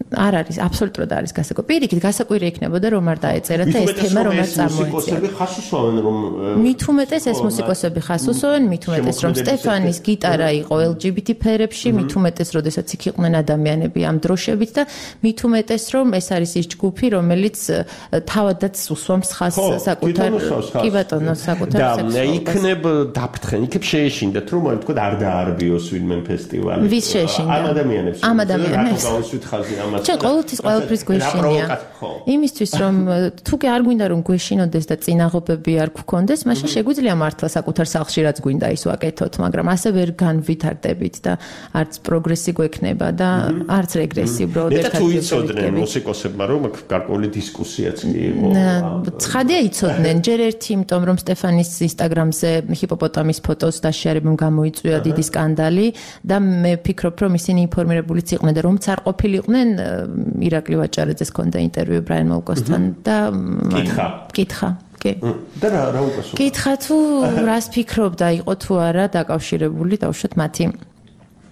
არ არის, აბსოლუტურად არის გასაკვირი. პირიქით გასაკვირი იქნებოდა, რომ არ დაეწერათ და ეს თემა რომ არ წამოეწია. მუსიკოსები ხას უსვამენ, რომ მით უმეტეს ეს მუსიკოსები ხას უსვამენ, მით უმეტეს რომ სტეფანის გიტარა იყო ელ ჯი ბი ტი ფერებში, მით უმეტეს როდესაც იქ იყვნენ ადამიანები ამ დროშებით და მით უმეტეს რომ ეს არის ის ჯგუფი, რომელიც თავადაც უსვამს ხას საკუთარ კი ბატონო, საკუთარ სექსუალობას. და იქნებ დაფრთხენ, იქნებ შეეშინდათ, რომ თქვა არ დაარბიოს ვინმე ფესტივალი. ვის შეეშინდა? ამ ადამიანებს. ამ ადამიანებს. რატო გავუსვით ხაზი ამ თემას. ჩვენ ყოველთვის ყველაფრის გვეშინია. იმისთვის რომ თუ კი არ გვინდა რომ გვეშინოდეს და წინაღობები არ გქონდეს, მაშინ შეგვიძლია მართლა საკუთარ სახლში რაც გვინდა ის ვაკეთოთ, მაგრამ ასე ვერ განვითარდებით და არც პროგრესი გვექნება და არც რეგრესი უბრალოდ ერთად. და თუ იცოდნენ მუსიკოსებმა რომ გარკვეული დისკუსიაც კი იყო. ცხადია იცოდნენ, ჯერ ერთი იმიტომ რომ სტეფანის ინსტაგრამზე ჰიპოპოტამის ფოტოს დაშიარებამ გამოიწვია დიდი სკანდალი და მე ვფიქრობ რომ ისინი ინფორმირებულიც იყვნენ და რომც არ ყოფილიყვნენ ირაკლი ვაჭარეძეს ჰქონდა ინტერვიუ ბრაიან მოლკოსთან და კითხა კითხა კი და რა რა უპასუხა კითხა თუ რას ფიქრობდა იყო თუ არა დაკავშირებული დაუშვათ მათი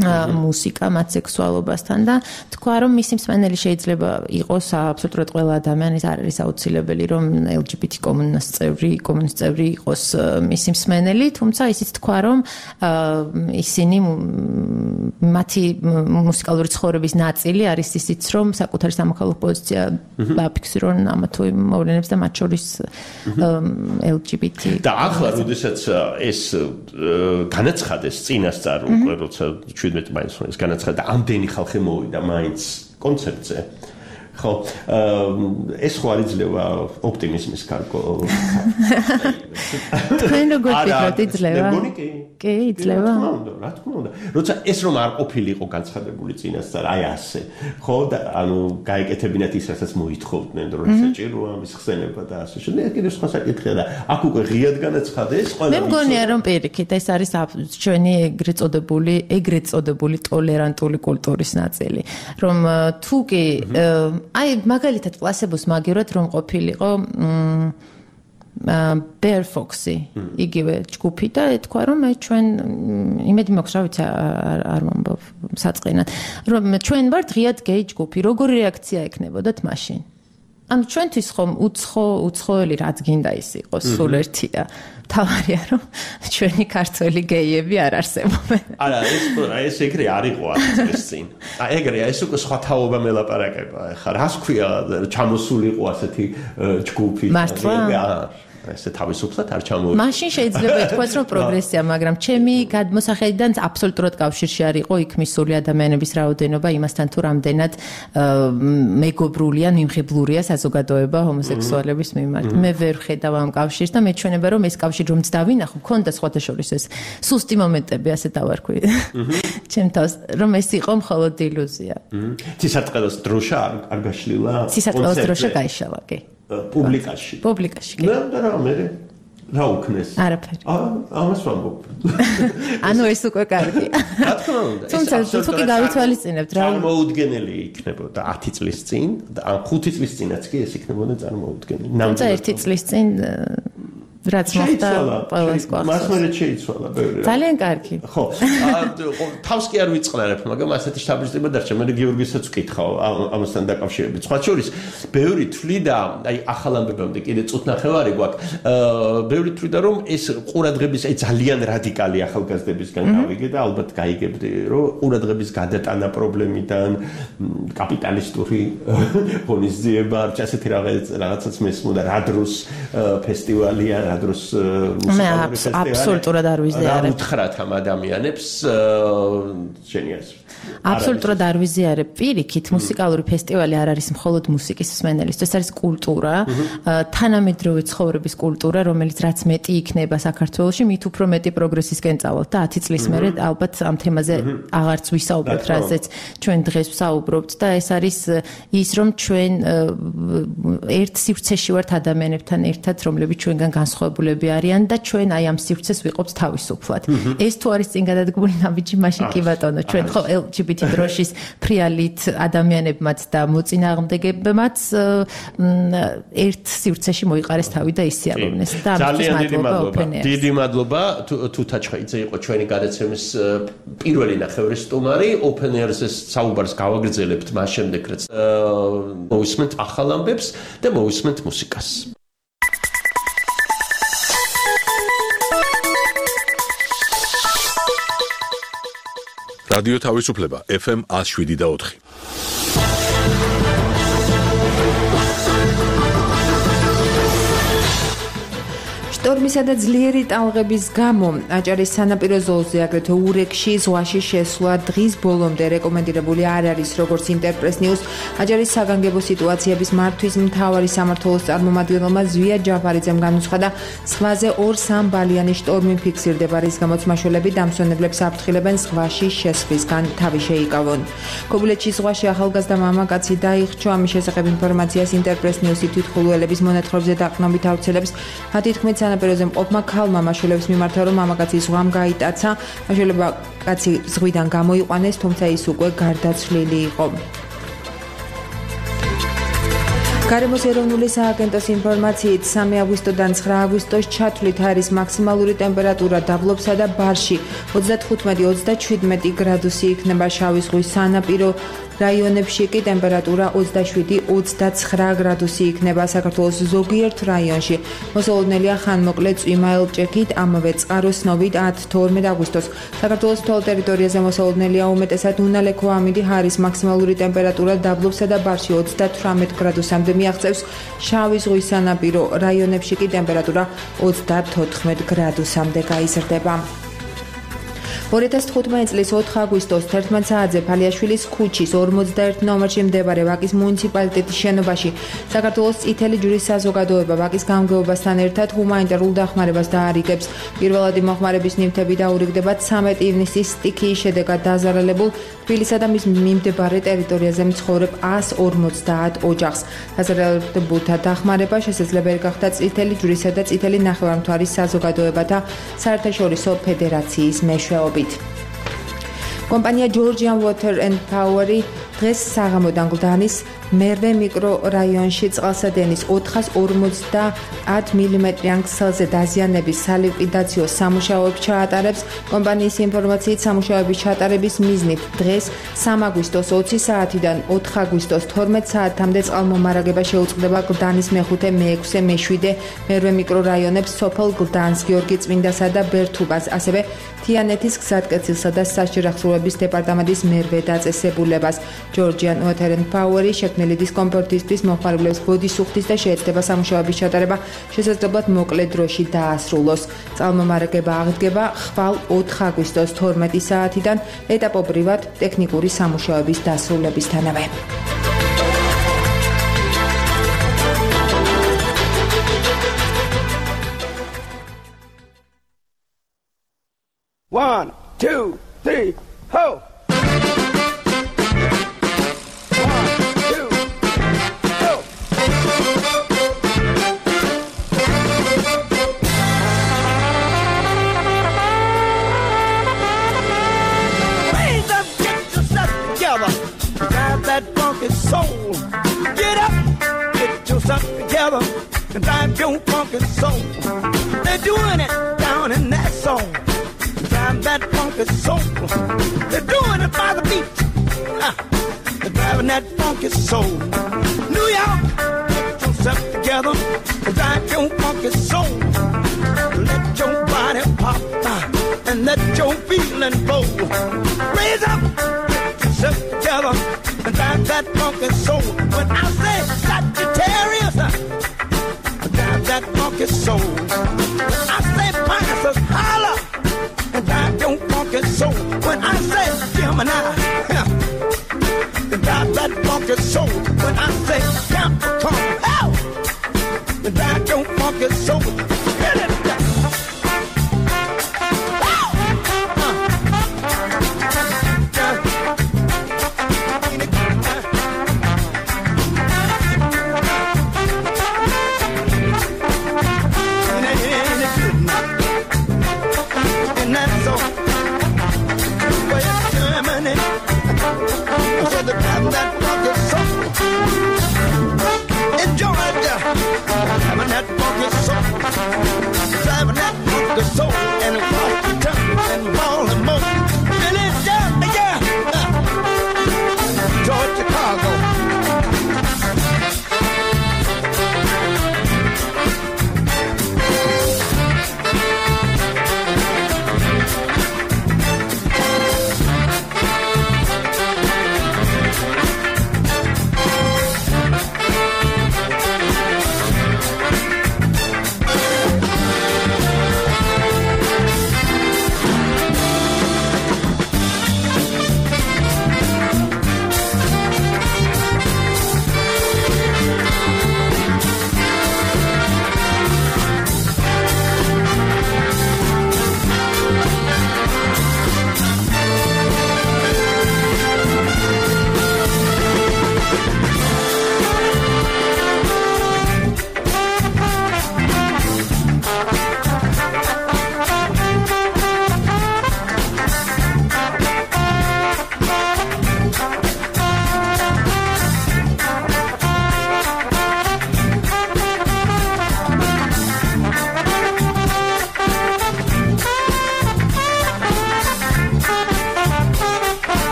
მუსიკა მათ სექსუალობასთან და თქვა რომ მისი მსმენელი შეიძლება იყოს აბსოლუტურად ყველა ადამიანის არ არის აუცილებელი რომ ელ ჯი ბი თი კომუნას წევრი კომუნის წევრი იყოს მისი მსმენელი თუმცა ისიც თქვა რომ ისინი მათი მუსიკალური ცხოვრების ნაწილი არის ისიც რომ საკუთარი სამოქალაქო პოზიცია დაფიქსირონ ამა თუ იმ მოვლენებს და მათ შორის ელ ჯი ბი თი და ახლა როდესაც ეს განაცხადეს წინასწარ უკვე როცა შვიდმეტი მაინც ეს განაცხადა ამდენი ხალხი მოვიდა მაინც კონცერტზე ხო ეს ხო არ იძლევა ოპტიმიზმის კარგო თქვენ როგორ ფიქრობთ იძლევა კი იძლევა რა თქმა უნდა როცა ეს რომ არ ყოფილიყო განცხადებული წინასწარ აი ასე ხო და ანუ გაეკეთებინათ ის რასაც მოითხოვდნენ რომ საჭიროა მის ხსენება და ასე შემდეგ ეს კიდევ სხვა საკითხია და აქ უკვე ღიად განაცხადეს ყველა მე მგონია რომ პირიქით ეს არის ჩვენი ეგრეთ წოდებული ეგრეთ წოდებული ტოლერანტული კულტურის ნაწილი რომ თუ კი აი მაგალითად პლასებოს მაგივრად რომ ყოფილიყო Bear Foxy იგივე ჯგუფი და ეთქვა რომ მე ჩვენ იმედი მაქვს რა ვიცი არ მომბობ საწყინად რომ ჩვენ ვართ ღიად გეი ჯგუფი როგორი რეაქცია ექნებოდათ მაშინ ანუ ჩვენთვის ხომ უცხო უცხოელი რაც გინდა ის იყოს სულ ერთია თავარია რომ ჩვენი ქართველი გეიები არ არსებობენ არა ეს ეს ეგრე არ იყო ათი წლის წინ აი ეგრეა ეს უკვე სხვა თაობა მელაპარაკება ხა რას ქვია ჩამოსულიყო ასეთი ჯგუფი მართლა ესე თავისუფლად არ ჩამოვიდა. მაშინ შეიძლება ითქვას რომ პროგრესია, მაგრამ ჩემი გადმოსახედიდან აბსოლუტურად კავშირში არ იყო იქ მისული ადამიანების რაოდენობა იმასთან თუ რამდენად მეგობრული ან მიმღებლურია საზოგადოება ჰომოსექსუალების მიმართ. მე ვერ ხედავ ამ კავშირს და მეჩვენება რომ ეს კავშირი რომც დავინახო, მქონდა სხვათა შორის ეს სუსტი მომენტები, ასე დავარქვი. ჩემ თავს რომ ეს იყო მხოლოდ ილუზია. ცისარტყელოს დროშა არ გაშლილა? ცისარტყელოს დროშა გაიშალა, კი. პუბლიკაში. პუბლიკაში. და რა მე რა უკნეს? არაფერი. აა ამას ვამბობ. ანუ ეს უკვე კარგია. რა თქმა უნდა. თუმცა თუ კი გავითვალისწინებთ რა წარმოუდგენელი იქნებოდა ათი წლის წინ და ან ხუთი წლის წინაც კი ეს იქნებოდა წარმოუდგენელი. თუმცა ერთი წლის წინ რაც მოხდა ყველას გვახსოვს. მას მე შეიცვალა ბევრი. ძალიან კარგი. ხო. თავს კი არ ვიწყნარებ, მაგრამ ასეთი შთაბეჭდილება დარჩა. მე გიორგისაც ვკითხავ ამასთან დაკავშირებით. სხვა შორის, ბევრი თვლიდა, აი ახალ ამბებამდე კიდე წუთნახევარი გვაქვს. ბევრი თვლიდა, რომ ეს ყურადღების, აი ძალიან რადიკალი ახალგაზრდებისგან გავიგე და ალბათ გაიგებდი, რომ ყურადღების გადატანა პრობლემიდან კაპიტალისტური ღონისძიება, ასეთი რაღაც რაღაცაც მესმოდა, რა დროს ფესტივალია რა დროს მუსიკალური ფესტივალი აბსოლუტურად არ ვიზიარებ. რა უთხრათ ამ ადამიანებს შენიას აბსოლუტურად არ ვიზიარებ. პირიქით მუსიკალური ფესტივალი არ არის მხოლოდ მუსიკის მსმენელისთვის, ეს არის კულტურა, თანამედროვე ცხოვრების კულტურა, რომელიც რაც მეტი იქნება საქართველოში, მით უფრო მეტი პროგრესისკენ წავალთ და ათი წლის მერე ალბათ ამ თემაზე აღარც ვისაუბრებთ, რასაც ჩვენ დღეს ვსაუბრობთ და ეს არის ის რომ ჩვენ ერთ სივრცეში ვართ ადამიანებთან ერთად, რომლებიც ჩვენგან განსხვავებულები არიან და ჩვენ აი ამ სივრცეს ვიყოფთ თავისუფლად. ეს თუ არის წინ გადადგმული ნაბიჯი, მაშინ კი ბატონო, ჩვენ ხო ელ ჯი ბი თი დროშის ფრიალით ადამიანებმაც და მოწინააღმდეგებმაც ერთ სივრცეში მოიყარეს თავი და ისიამოვნეს და ამისთვის მადლობა ოპენერს. დიდი მადლობა თუთაჩხაიძე იყო ჩვენი გადაცემის პირველი ნახევრის სტუმარი. ოპენერს საუბარს გავაგრძელებთ მას შემდეგ რაც მოვისმენთ ახალ ამბებს და მოვისმენთ მუსიკას. რადიო თავისუფლება ეფ ემ ათს შვიდი და ოთხი. შტორმისა და ძლიერი ტალღების გამო აჭარის სანაპირო ზოლზე აგრეთვე ურეკში ზღვაში შესვლა დღის ბოლომდე რეკომენდირებული არ არის, როგორც ინტერპრეს ნიუს აჭარის საგანგებო სიტუაციების მართვის მთავარი სამმართველოს წარმომადგენელმა ზვია ჯაფარიძემ განუცხადა, ზღვაზე ორ-სამ ბალიანი შტორმი ფიქსირდება, რის გამოც მაშველები დამსვენებლებს აფრთხილებენ ზღვაში შესვლისგან თავი შეიკავონ. ქობულეთში ზღვაში ახალგაზრდა მამაკაცი დაიხრჩო, ამის შესახებ ინფორმაციას ინტერპრეს ნიუსი თვითმხილველების მონათხრობზე დაყრდნობით ავრცელებს. მათი თქმით, სანაპიროზე მყოფმა ქალმა მაშველებს მიმართა, რომ მამაკაცი ზღვამ გაიტაცა, მაშველებმა კაცი ზღვიდან გამოიყვანეს, თუმცა ის უკვე გარდაცვლილი იყო. გარემოს ეროვნული სააგენტოს ინფორმაციით სამი აგვისტოდან ცხრა აგვისტოს ჩათვლით არის მაქსიმალური ტემპერატურა დაბლობსა და ბარში ოცდათხუთმეტი ოცდაჩვიდმეტი გრადუსი იქნება, შავი ზღვის სანაპირო რაიონებში კი ტემპერატურა ოცდაშვიდი ოცდაცხრა გრადუსი იქნება. საქართველოს ზოგიერთ რაიონში მოსალოდნელია ხანმოკლე წვიმა ელჭექით, ამავე წყაროს სნობით ათი-თორმეტი აგვისტოს. საქართველოს მთელ ტერიტორიაზე მოსალოდნელია უმეტესად უნალექო ამინდი, ჰარის მაქსიმალური ტემპერატურა დაბლობსა და ბარში ოცდათვრამეტ გრადუსამდე მიაღწევს, შავი ზღვის სანაპირო რაიონებში კი ტემპერატურა ოცდათოთხმეტ გრადუსამდე გაიზრდება. ორი ათას თხუთმეტი წლის ოთხი აგვისტოს თერთმეტ საათზე ფალიაშვილის ქუჩის ორმოცდაერთი ნომერში მდებარე ვაკის მუნიციპალიტეტის შენობაში საქართველოს წითელი ჯვრის საზოგადოება ვაკის გამგეობასთან ერთად ჰუმანიტარულ დახმარებას დაარიგებს. პირველადი მოხმარების ნივთები დაურიგდება ცამეტი ივნისის სტიქიის შედეგად დაზარალებულ თბილისსა და მის მიმდებარე ტერიტორიაზე მცხოვრებ ასს ორმოცდაათ ოჯახს. დაზარალებულთა დახმარება შესაძლებელი გახდა წითელი ჯვრისა და წითელი ნახევარმთვარის საზოგადოებათა საერთაშორისო ფედერაციის მეშვეობით. კომპანია Georgian Water and Power დღეს საღამოდან გლდანის მერვე მიკრორაიონში წყალსადენის ოთხას ორმოცდაათ მილიმეტრიან ქსელზე დაზიანების სალიკვიდაციო სამუშაოებს ჩაატარებს. კომპანიის ინფორმაციით, სამუშაოების ჩატარების მიზნით დღეს სამი აგვისტოს ოცი საათიდან ოთხი აგვისტოს თორმეტ საათამდე წყალმომარაგება შეუწყდება გლდანის მეხუთე, მეექვსე, მეშვიდე, მერვე მიკრორაიონებს, სოფელ გლდანს, გიორგი წმინდასა და ბერთუბას, ასევე თიანეთის გზატკეცილსა და საჭირახსოვრების დეპარტამენტის მერვე დაწესებულებას. Georgian Water and Power შექმნილი დისკომფორტისთვის მოხმარებლებს ბოდის უხდის და შეეცდება სამუშაოების ჩატარება შესაძლებლად მოკლე დროში დაასრულოს. წყალმომარაგება აღდგება ხვალ ოთხი აგვისტოს თორმეტი საათიდან ეტაპობრივად ტექნიკური სამუშაოების დასრულებისთანავე. One, two, three, ho! Soul. Get up, get yourself together, and drive your funky soul. They're doing it down in that soul. Drive that funky soul. They're doing it by the beach. Uh, they're driving that funky soul. New York, get yourself together, and drive your funky soul. Let your body pop uh, and let your feeling flow. Raise up, get yourself together. And drive that funky soul. When I say Sagittarius, drive that funky soul. When I say Pisces, holla, and drive your funky soul. When I say Gemini, drive that funky soul. When I say Capricorn, hell, drive your funky soul. Hit it down. Driving that funky soul and Washington and Baltimore, Philadelphia, Georgia, Chicago.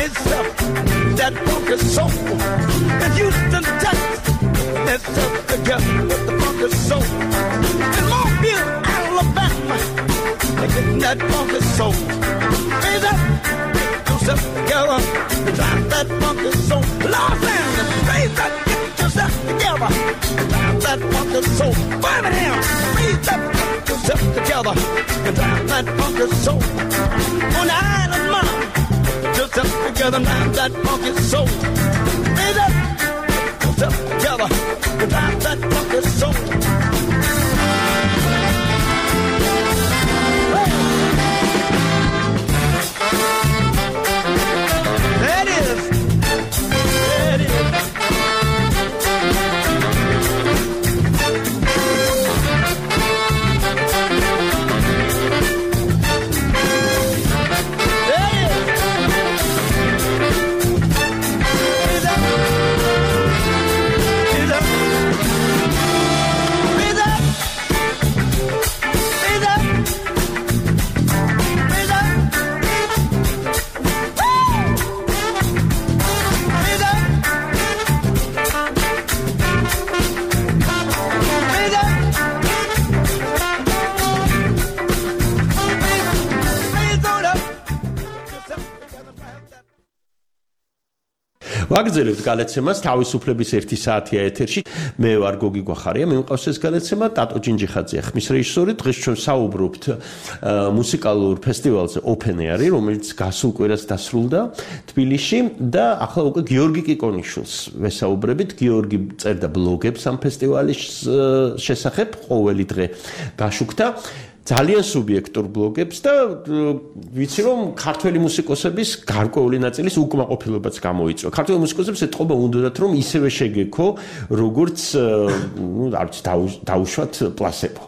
itself that funky soul. In Houston, Texas, itself together with the funky soul. In Mobile, Alabama, they getting that funky soul. Raise up, get yourself together, drive that funky soul. Los Angeles, raise up, get yourself together, drive that funky soul. Birmingham, raise up, get yourself together, and drive that funky soul. On the island, mom, get yourself together, drive that funky soul. Raise up, get yourself together, and drive that funky soul. ვაგრძელებთ გალეცემას თავისუფლების ერთი საათია ეთერში. მე ვარ გოგი გვახარია, მე მყავს ეს გალეცემა ტატო ჯინჯიხაძეა ხმის რეჟისორი. დღეს ჩვენ საუბრობთ მუსიკალურ ფესტივალზე Open Air, რომელიც გასულ კვირას დასრულდა თბილისში და ახლა უკვე გიორგი კიკონიშვილს ვესაუბრებით. გიორგი წერდა ბლოგებს ამ ფესტივალის შესახებ, ყოველი დღე გაშუქდა ძალიან სუბიექტურ ბლოგებს და ვიცი რომ ქართველი მუსიკოსების გარკვეული ნაწილის უკმაყოფილებაც გამოიწვია. ქართველი მუსიკოსებს ეთყობა უნდათ რომ ისევე შეგექო როგორც ნუ არ ვიცი დაუშვათ პლასებო.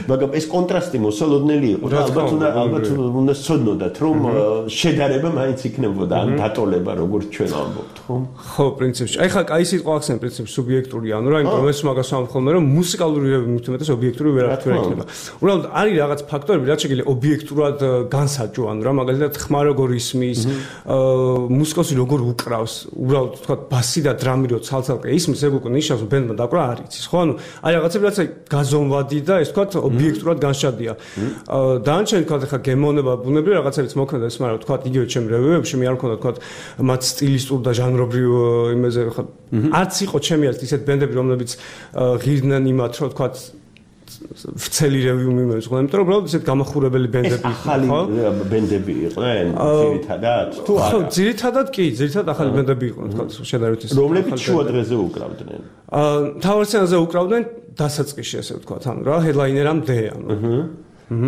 მაგრამ ეს კონტრასტი მოსალოდნელი იყო და ალბათ უნდა ალბათ უნდა სწოდნოდათ რომ შედარება მაინც იქნებოდა ან დატოლება როგორც ჩვენ ამბობთ, ხო? ხო, პრინციპში. აი ხა კაი სიტყვა ახსენ პრინციპში სუბიექტური ანუ რა, იმიტომ რომ ეს მაგას ვამხოლმე რომ მუსიკალური მითუმეტეს ობიექტური ვერ აღთქმება. უბრალოდ არის რაღაც ფაქტორები, რაც შეიძლება ობიექტურად განსაჯო, ანუ რა მაგალითად ხმა როგორ ისმის, მუსიკოსი როგორ უკრავს, უბრალოდ თქვა ბასი და დრამი რო ცალ-ცალკე ისმის, ეგ უკვე ნიშნავს ბენდმა დაკვრა არ იცის, ხო? ანუ აი რაღაცები რაც აი გაზომვადი და ეს თქვა ობიექტურად განშადია. დანარჩენი თქვა ხა გემოვნება ბუნებრივი რაღაცებიც მოქმედა ის, მაგრამ თქვა იგივე ჩემ რევიუებში მე არ მქონდა თქვა მათ სტილისტურ და ჟანრობრივ იმაზე ხა არც იყო ჩემი არც ისეთ ბენდები რომლებიც ღირდნენ იმათ რომ თქვა ვცელი რევიუმი მეუძღვნა, იმიტომ რომ უბრალოდ ესეთ გამახურებელი ბენდები იყო, ხო? ახალი ბენდები იყვნენ, ძირითადად. თუ არა. ხო, ძირითადად კი, ძირითადად ახალი ბენდები იყვნენ, თქვა შედარებით ის. რომლებიც შუა დღეზე უკრავდნენ. აა, მთავარ სცენაზე უკრავდნენ დასაწყისში, ასე ვთქვათ, ანუ რა, ჰედლაინერამდე, ანუ.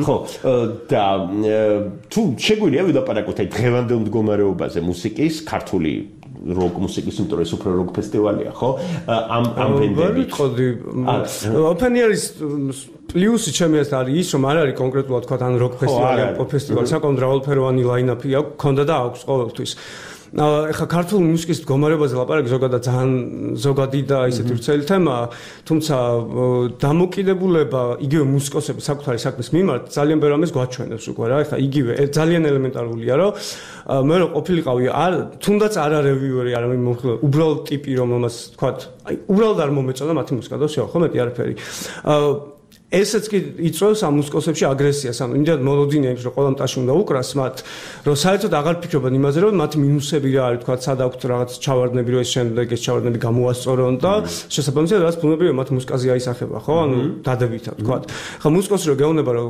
ხო, და თუ შეგვიძლია ვილაპარაკოთ აი დღევანდელ მდგომარეობაზე მუსიკის, ქართული როკ მუსიკის, იმიტომ რომ ეს უფრო როკ ფესტივალია, ხო? ამ ამ ბენდებით. ვიტყოდი, Open Air-ის პლუსი ჩემი ეს არის ის, რომ არ არის კონკრეტულად თქვა ან როკ ფესტივალი, ან პოპ ფესტივალი, საკმაოდ მრავალფეროვანი ლაინაპი აქვს, ქონდა და აქვს ყოველთვის. ეხა ქართული მუსიკის მდგომარეობაზე ლაპარაკი ზოგადად ძალიან ზოგადი და ისეთი ვრცელი თემაა, თუმცა დამოკიდებულება იგივე მუსიკოსების საკუთარი საქმის მიმართ ძალიან ბევრ ამას გვაჩვენებს უკვე რა. ეხა იგივე ძალიან ელემენტარულია, რომ მე რო ყოფილიყავი არ თუნდაც არა რევიუერი, არა მომხილო, უბრალოდ ტიპი რომ ამას თქვათ, აი უბრალოდ არ მომეწონა მათი მუსიკა და всё, ხო მეტი არაფერი. ესეც კი იწვევს ამ მუსიკოსებში აგრესიას, ანუ იმდენად მოლოდინია იმის, რომ ყველა მტაში უნდა უკრას მათ, რომ საერთოდ აღარ ფიქრობენ იმაზე, რომ მათი მინუსები რა არის, თქვა სად აქვთ რაღაც ჩავარდნები, რომ ეს შემდეგ ეს ჩავარდნები გამოასწორონ და შესაბამისად რაც ბუნებრივია მათ მუსიკაზე აისახება, ხო? ანუ დადებითად, თქვა. ხა მუსიკოსი რო გეუბნება, რომ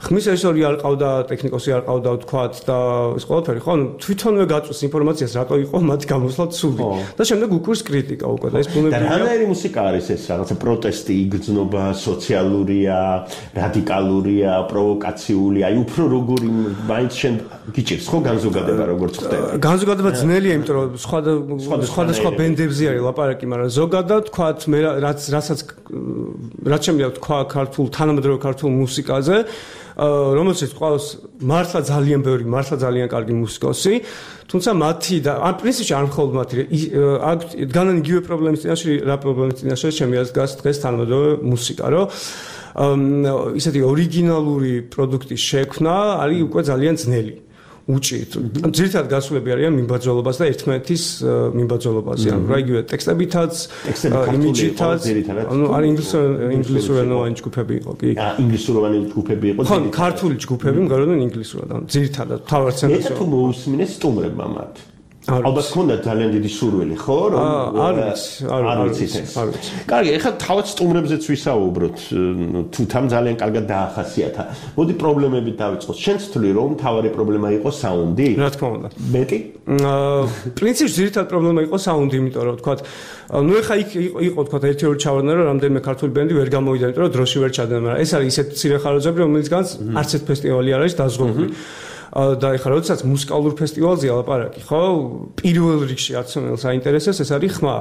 ხმის რეჟისორი არ ყავდა, ტექნიკოსი არ ყავდა, თქვა და ეს ყველაფერი, ხო? ანუ თვითონვე გაწვეს ინფორმაციას, რატო იყო მათი გამოსვლა ცუდი. და შემდეგ უკვირს კრიტიკა უკვე და ეს ბუნებრივია. და რანაირი მუსიკა არის ეს, რაღაცა პროტესტი, იგრძნობა, სოციალურია, რადიკალურია, პროვოკაციული, აი უფრო როგორი მაინც შენ გიჭირს ხო განზოგადება როგორც ხდება? განზოგადება ძნელია, იმიტომ რომ სხვა სხვადასხვა ბენდებზე არის ლაპარაკი, მაგრამ ზოგადად თქვათ მე რაც რასაც რაც შემიძლია თქვა ქართულ თანამედროვე ქართულ მუსიკაზე, რომელსაც ყავს მართლა ძალიან ბევრი, მართლა ძალიან კარგი მუსიკოსი, თუმცა მათი და ან პრინციპში არ მხოლოდ მათი აქვს განან იგივე პრობლემის წინაშე, რა პრობლემის წინაშე შემიძლია დგას დღეს თანამედროვე მუსიკა, რომ ისეთი ორიგინალური პროდუქტის შექმნა არის უკვე ძალიან ძნელი. უჭირთ. ძირითადად გასულები არიან მიმბაძველობას და ერთმანეთის მიმბაძველობაზე. ანუ რა იგივე ტექსტებითაც, იმიჯითაც, ანუ არ ინგლისურენოვანი ჯგუფები იყო, კი. აა ინგლისუროვანი ჯგუფები იყო. ხო, ქართული ჯგუფები მგონია ინგლისურად, ანუ ძირითადად თავარ ცენტრში. ეს თუ მოусმინეს სტუმრებმა მათ. ალბათ ქონდა ძალიან დიდი სურვილი, ხო? რომ არ ვიცი, არ ვიცი, არ ვიცი. კარგი, ეხლა თავად სტუმრებზეც ვისაუბროთ, თუ თან ძალიან კარგად დაახასიათა. მოდი პრობლემებით დავიწყოთ. შენც თვლი რომ თავარი პრობლემა იყო საუნდი? რა თქმა უნდა. მეტი? აა, პრინციპში ძირითადად პრობლემა იყო საუნდი, იმიტომ რომ თქვა, ну ეხა იქ იყო თქვა ერთი ორი ჩავარდნა რომ რამდენიმე ქართული ბენდი ვერ გამოვიდა, იმიტომ რომ დროში ვერ ჩადნენ, მაგრამ ეს არის ისეთ მცირე ხაროძები, რომელიცგანაც არც ერთ ფესტივალი არ არის დაზღვეული. და ეხლა როდესაც მუსიკალურ ფესტივალზეა ლაპარაკი, ხო? პირველ რიგში აცნელს აინტერესებს ეს არის ხმა.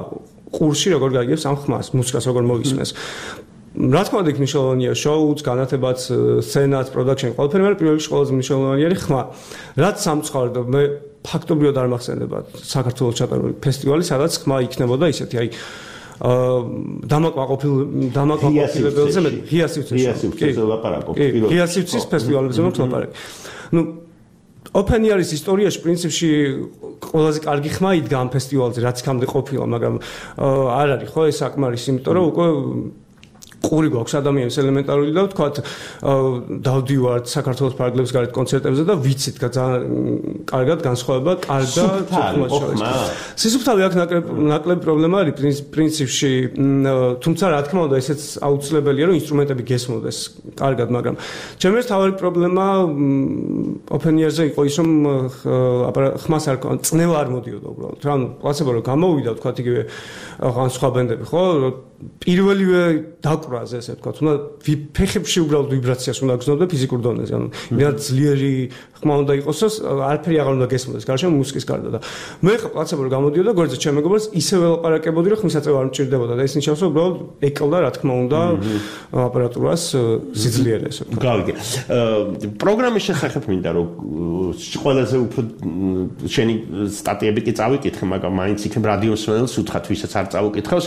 ყურში როგორ გაიგებს ამ ხმას, მუსიკას როგორ მოისმენს. რა თქმა უნდა, მნიშვნელოვანია შოუც, განათებაც, სცენაც, პროდაქშენი, ყველაფერი, მაგრამ პირველ რიგში ყველაზე მნიშვნელოვანი არის ხმა. რაც სამწუხაროდ მე ფაქტობრივად არ მახსენდება საქართველოს ჩატარებული ფესტივალი, სადაც ხმა იქნებოდა ისეთი, აი აა დამაკმაყოფილ დამაკმაყოფილებელზე მე ღია სივრცეში ლაპარაკობ. ღია სივრცის ფესტივალებზე მოხდა ლაპარაკი. ну Open Air-ის ისტორიაში პრინციპში ყველაზე კარგი ხმა იდგა ამ ფესტივალზე, რაც იქამდე ყოფილა, მაგრამ არ არის ხო ეს საკმარისი, იმიტომ რომ უკვე ყური გვაქვს ადამიანის ელემენტარული და ვთქვათ დავდივართ საქართველოს ფარგლებს გარეთ კონცერტებზე და ვიცით ძალიან კარგად განსხვავება კარგ და ცოცხლად შორის. სისუფთავე აქ ნაკლები პრობლემა არის პრინციპში, თუმცა რა თქმა უნდა ესეც აუცილებელია რომ ინსტრუმენტები გესმოდეს კარგად, მაგრამ ჩემი თავი პრობლემა Open Air-ზე იყო ის რომ ხმას არ წნევა არ მოდიოდა უბრალოდ. რა ანუ პლაცებო რომ გამოვიდა ვთქვათ იგივე ან სხვა ბენდები ხო პირველივე დაკვრაზე ესე ვთქვათ, უნდა ფეხებში უბრალოდ ვიბრაციას უნდა გრძნობდა ფიზიკურ დონეზე, ანუ იმათ ძლიერი ხმა უნდა იყოს, არაფერი აღარ უნდა გესმოდეს, გარშემო მუსიკის გარდა და მე ხა პლაცებო რომ გამოდიოდა, გვერდზე ჩემ მეგობრებს ისევე ელაპარაკებოდი, რომ ხმისაწევა არ მჭირდებოდა და ეს ნიშნავს, რომ უბრალოდ ეკლდა რა თქმა უნდა აპარატურას სიძლიერე ესე ვთქვათ. გავიგე. პროგრამის შესახებ მინდა რომ ყველაზე უფრო შენი სტატიები კი წავიკითხე, მაგრამ მაინც იქნებ რადიო მსმენელს უთხრათ, ვისაც არ წავიკითხავს,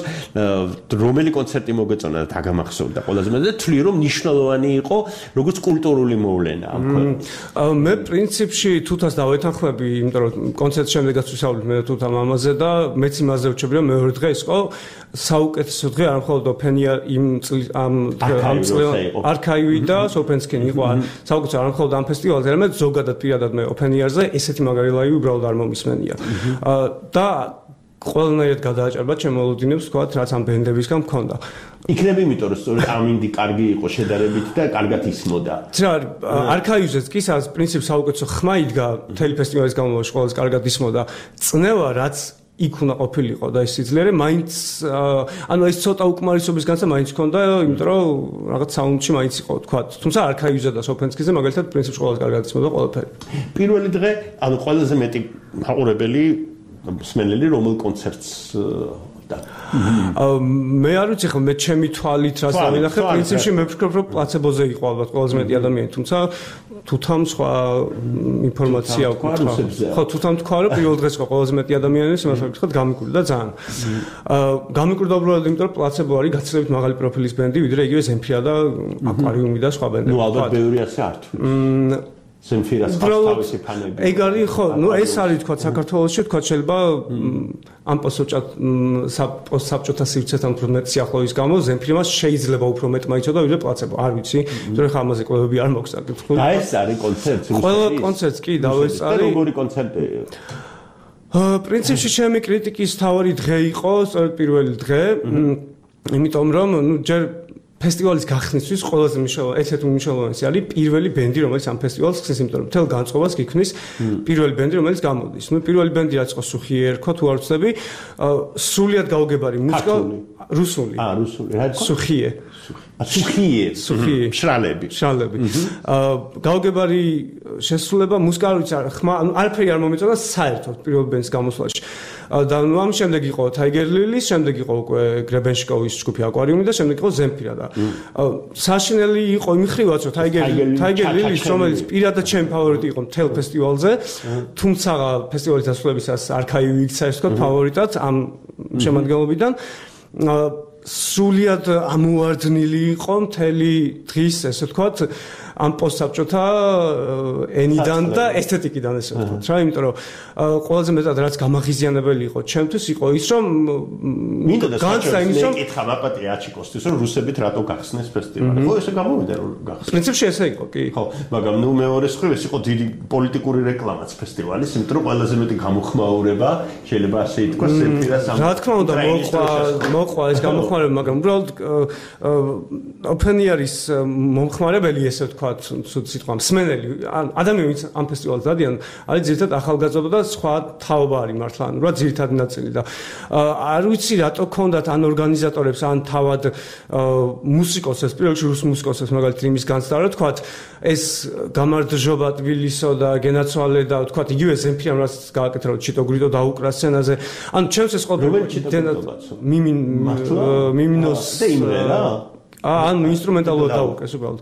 რომელი კონცერტი მოგეწონა და დაგამახსოვდა ყველაზე მეტად და თვლი რომ მნიშვნელოვანი იყო როგორც კულტურული მოვლენა ამ ქვეყანაში. მე პრინციპში თუთას დავეთანხმები, იმიტომ რომ კონცერტის შემდეგაც ვისაუბრეთ მე თუთა მამაზე და მეც იმაზე ვჩები რომ მეორე დღე იყო საუკეთესო დღე არ მხოლოდ Open Air იმ ამ ამ წლიდან არქაივი და Open-Skin იყო საუკეთესო არ მხოლოდ ამ ფესტივალზე, არამედ ზოგადად პირადად მე Open Air-ზე ესეთი მაგარი ლაივი უბრალოდ არ მომისმენია. და ყველანაირად გადააჭარბა ჩემ მოლოდინებს ვთქვათ, რაც ამ ბენდებისგან მქონდა. იქნება იმიტომ რომ სწორედ ამინდი კარგი იყო შედარებით და კარგად ისმოდა. რა არქაივზეც კი სადაც პრინციპ საუკეთესო ხმა იდგა მთელი ფესტივალის განმავლობაში ყველაზე კარგად ისმოდა. წნევა რაც იქ უნდა ყოფილიყო და ეს სიძლიერე მაინც ანუ ეს ცოტა უკმარისობის განსა მაინც ქონდა, იმიტომ რომ რაღაც საუნდში მაინც იყო ვთქვათ. თუმცა არქაივზე და Open-Skin-ზე მაგალითად პრინციპში ყველაზე კარგად ისმოდა ყველაფერი. პირველი დღე ანუ ყველაზე მეტი მაყურებელი მსმენელი რომელ კონცერტს და მე არ ვიცი ხო მე ჩემი თვალით რას დავინახე პრინციპში მე ვფიქრობ რომ პლაცებოზე იყო ალბათ ყველაზე მეტი ადამიანი, თუმცა თუთამ სხვა ინფორმაცია ვკითხა. ხო თუთამ თქვა რომ პირველ დღეს იყო ყველაზე მეტი ადამიანი, იმას ვკითხოთ გამიკვირდა ძალიან. გამიკვირდა უბრალოდ იმიტომ რომ პლაცებო არის გაცილებით მაღალი პროფილის ბენდი, ვიდრე იგივე ზემფირა და აკვარიუმი და სხვა ბენდები. ნუ ალბათ ბევრი ასე არ თვლის. ზემფირას თავისი ფანები. ეგ არის ხო, ნუ ეს არის თქვა საქართველოში, თქვა შეიძლება ამ პოსტსაბჭოთა პოსტსაბჭოთა სივრცესთან უფრო მეტ სიახლოვის გამო ზემფირას შეიძლება უფრო მეტ მაიცოდა ვიდრე პლაცებო, არ ვიცი, იმიტომ რომ ამაზე კვლევები არ მოხდა. და ეს არის კონცერტი რუსეთის. ყველა კონცერტს კი დავესწარი. როგორი კონცერტი? პრინციპში ჩემი კრიტიკის თავი დღე იყო, სწორედ პირველი დღე, იმიტომ რომ ნუ ჯერ ფესტივალის გახსნისთვის ყველაზე მნიშვნელოვანი, ერთ-ერთი მნიშვნელოვანი არის პირველი ბენდი, რომელიც ამ ფესტივალს ხსნის, იმიტომ რომ მთელ განწყობას გიქმნის პირველი ბენდი, რომელიც გამოდის. ნუ პირველი ბენდი რაც იყო სუხიე ერქვა, თუ არ ვცდები, სრულიად გაუგებარი მუსიკა, რუსული. აა, რუსული. რა იყო? სუხიე. სუხიე. სუხიე. შრალები. შრალები. აა, გაუგებარი შესრულება, მუსიკა არ ვიცი, ხმა, ანუ არაფერი არ მომეწონა საერთოდ პირველ ბენდს გამოსვლაში. და ნუ ამ შემდეგ იყო Tiger Lily, შემდეგ იყო უკვე გრებენშკოვის ჯგუფი აკვარიუმი და შემდეგ იყო ზემფირა და საშინელი იყო იმ ხრივაც რომ Tiger Tiger Lily, რომელიც პირადად ჩემი ფავორიტი იყო მთელ ფესტივალზე, თუმცა ფესტივალის დასრულებისას არქაივი იქცა ეს თქო ფავორიტად ამ შემადგენლობიდან. სრულიად ამოვარდნილი იყო მთელი დღის, ესე ვთქვათ, ამ პოსტსაბჭოთა ენიდან და ესთეტიკიდან ესე ვთქვათ რა, იმიტომ რომ ყველაზე მეტად რაც გამაღიზიანებელი იყო ჩემთვის იყო ის რომ მინდა და საერთოდ მეკითხა მაპატი აჩიკოსთვის რომ რუსებით რატო გახსნეს ფესტივალი. ხო ესე გამოვიდა რომ გახსნეს. პრინციპში ესე იყო კი. ხო, მაგრამ ნუ მეორე მხრივ ეს იყო დიდი პოლიტიკური რეკლამაც ფესტივალის, იმიტომ რომ ყველაზე მეტი გამოხმაურება შეიძლება ასე ითქვას სეფირას ამ. რა თქმა უნდა მოყვა მოყვა ეს გამოხმაურება, მაგრამ უბრალოდ ოპენიერის მომხმარებელი ესე ვთქვათ, სულ სიტყვა მსმენელი, ადამიანები ამ ფესტივალს დადიან, არის ძირითადად ახალგაზრდა და სხვა თაობა არის მართლა, ანუ რა ძირითადი ნაწილი და არ ვიცი რატო ქონდათ ან ორგანიზატორებს ან თავად მუსიკოსებს, პირველ რიგში რუს მუსიკოსებს მაგალითად იმის განცდა რა თქვათ, ეს გამარჯობა თბილისო და გენაცვალე და თქვათ იგივე ზემფირამ რაც გააკეთა რომ ჩიტო გრიდო დაუკრა სცენაზე. ანუ ჩემს ეს ყოველ მიმინ მიმინოს და იმრე რა. ან ინსტრუმენტალურად დაუკრეს უბრალოდ.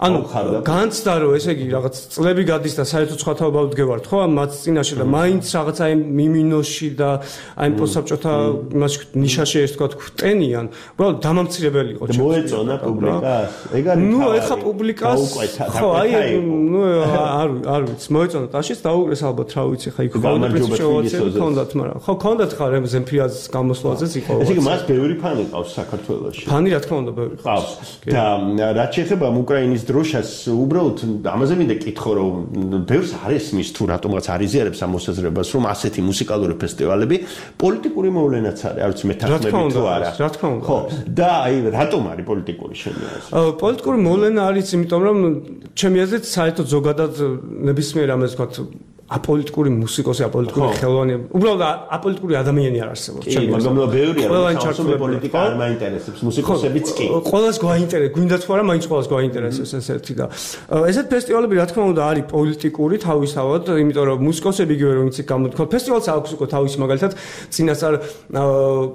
ანუ განცდა რომ ესე იგი რაღაც წლები გადის და საერთოდ სხვა თაობა ვდგევართ ხო ამ მათ წინაშე და მაინც რაღაც აი მიმინოში და აი პოსტსაბჭოთა იმაში ნიშაში ეს თქვა ვტენიან უბრალოდ დამამცირებელი იყო და მოეწონა პუბლიკას ეგ არის ნუ ეხა პუბლიკას ხო აი ნუ არ არ ვიცი მოეწონა ტაშიც დაუკრეს ალბათ რა ვიცი ხა იქ პრინციპში ქონდათ მაგრამ ხო ქონდათ ხარ ამ ზემფირას გამოსვლაზეც იყო ესე იგი მას ბევრი ფანი ყავს საქართველოში ფანი რა თქმა უნდა ბევრი ყავს და რაც შეეხება უკრაინის დროშას უბრალოდ ამაზე მინდა კითხო რომ ბევრს არ ესმის თუ რატომღაც არ იზიარებს ამ მოსაზრებას რომ ასეთი მუსიკალური ფესტივალები პოლიტიკური მოვლენაც არის არ ვიცი მეთანხმები თუ არა რა თქმა უნდა ხო და აი რატომ არის პოლიტიკური შემიძლია პოლიტიკური მოვლენა არის იმიტომ რომ ჩემი აზრით საერთოდ ზოგადად ნებისმიერ ამას ვთქვათ აპოლიტიკური მუსიკოსი, აპოლიტიკური ხელოვანი, უბრალოდ აპოლიტიკური ადამიანი არ არსებობს. ჩემი მაგრამ ბევრია, რომ პოლიტიკა არ მაინტერესებს, მუსიკოსებიც კი. ყველას გვაინტერესებს, გვინდა თუ არა, მაინც ყველას გვაინტერესებს ეს ერთი და ესეთ ფესტივალები რა თქმა უნდა არის პოლიტიკური თავისთავად, იმიტომ რომ მუსიკოსები იგივე რომ იცი გამოთქვა, ფესტივალს აქვს უკვე თავისი მაგალითად წინასწარ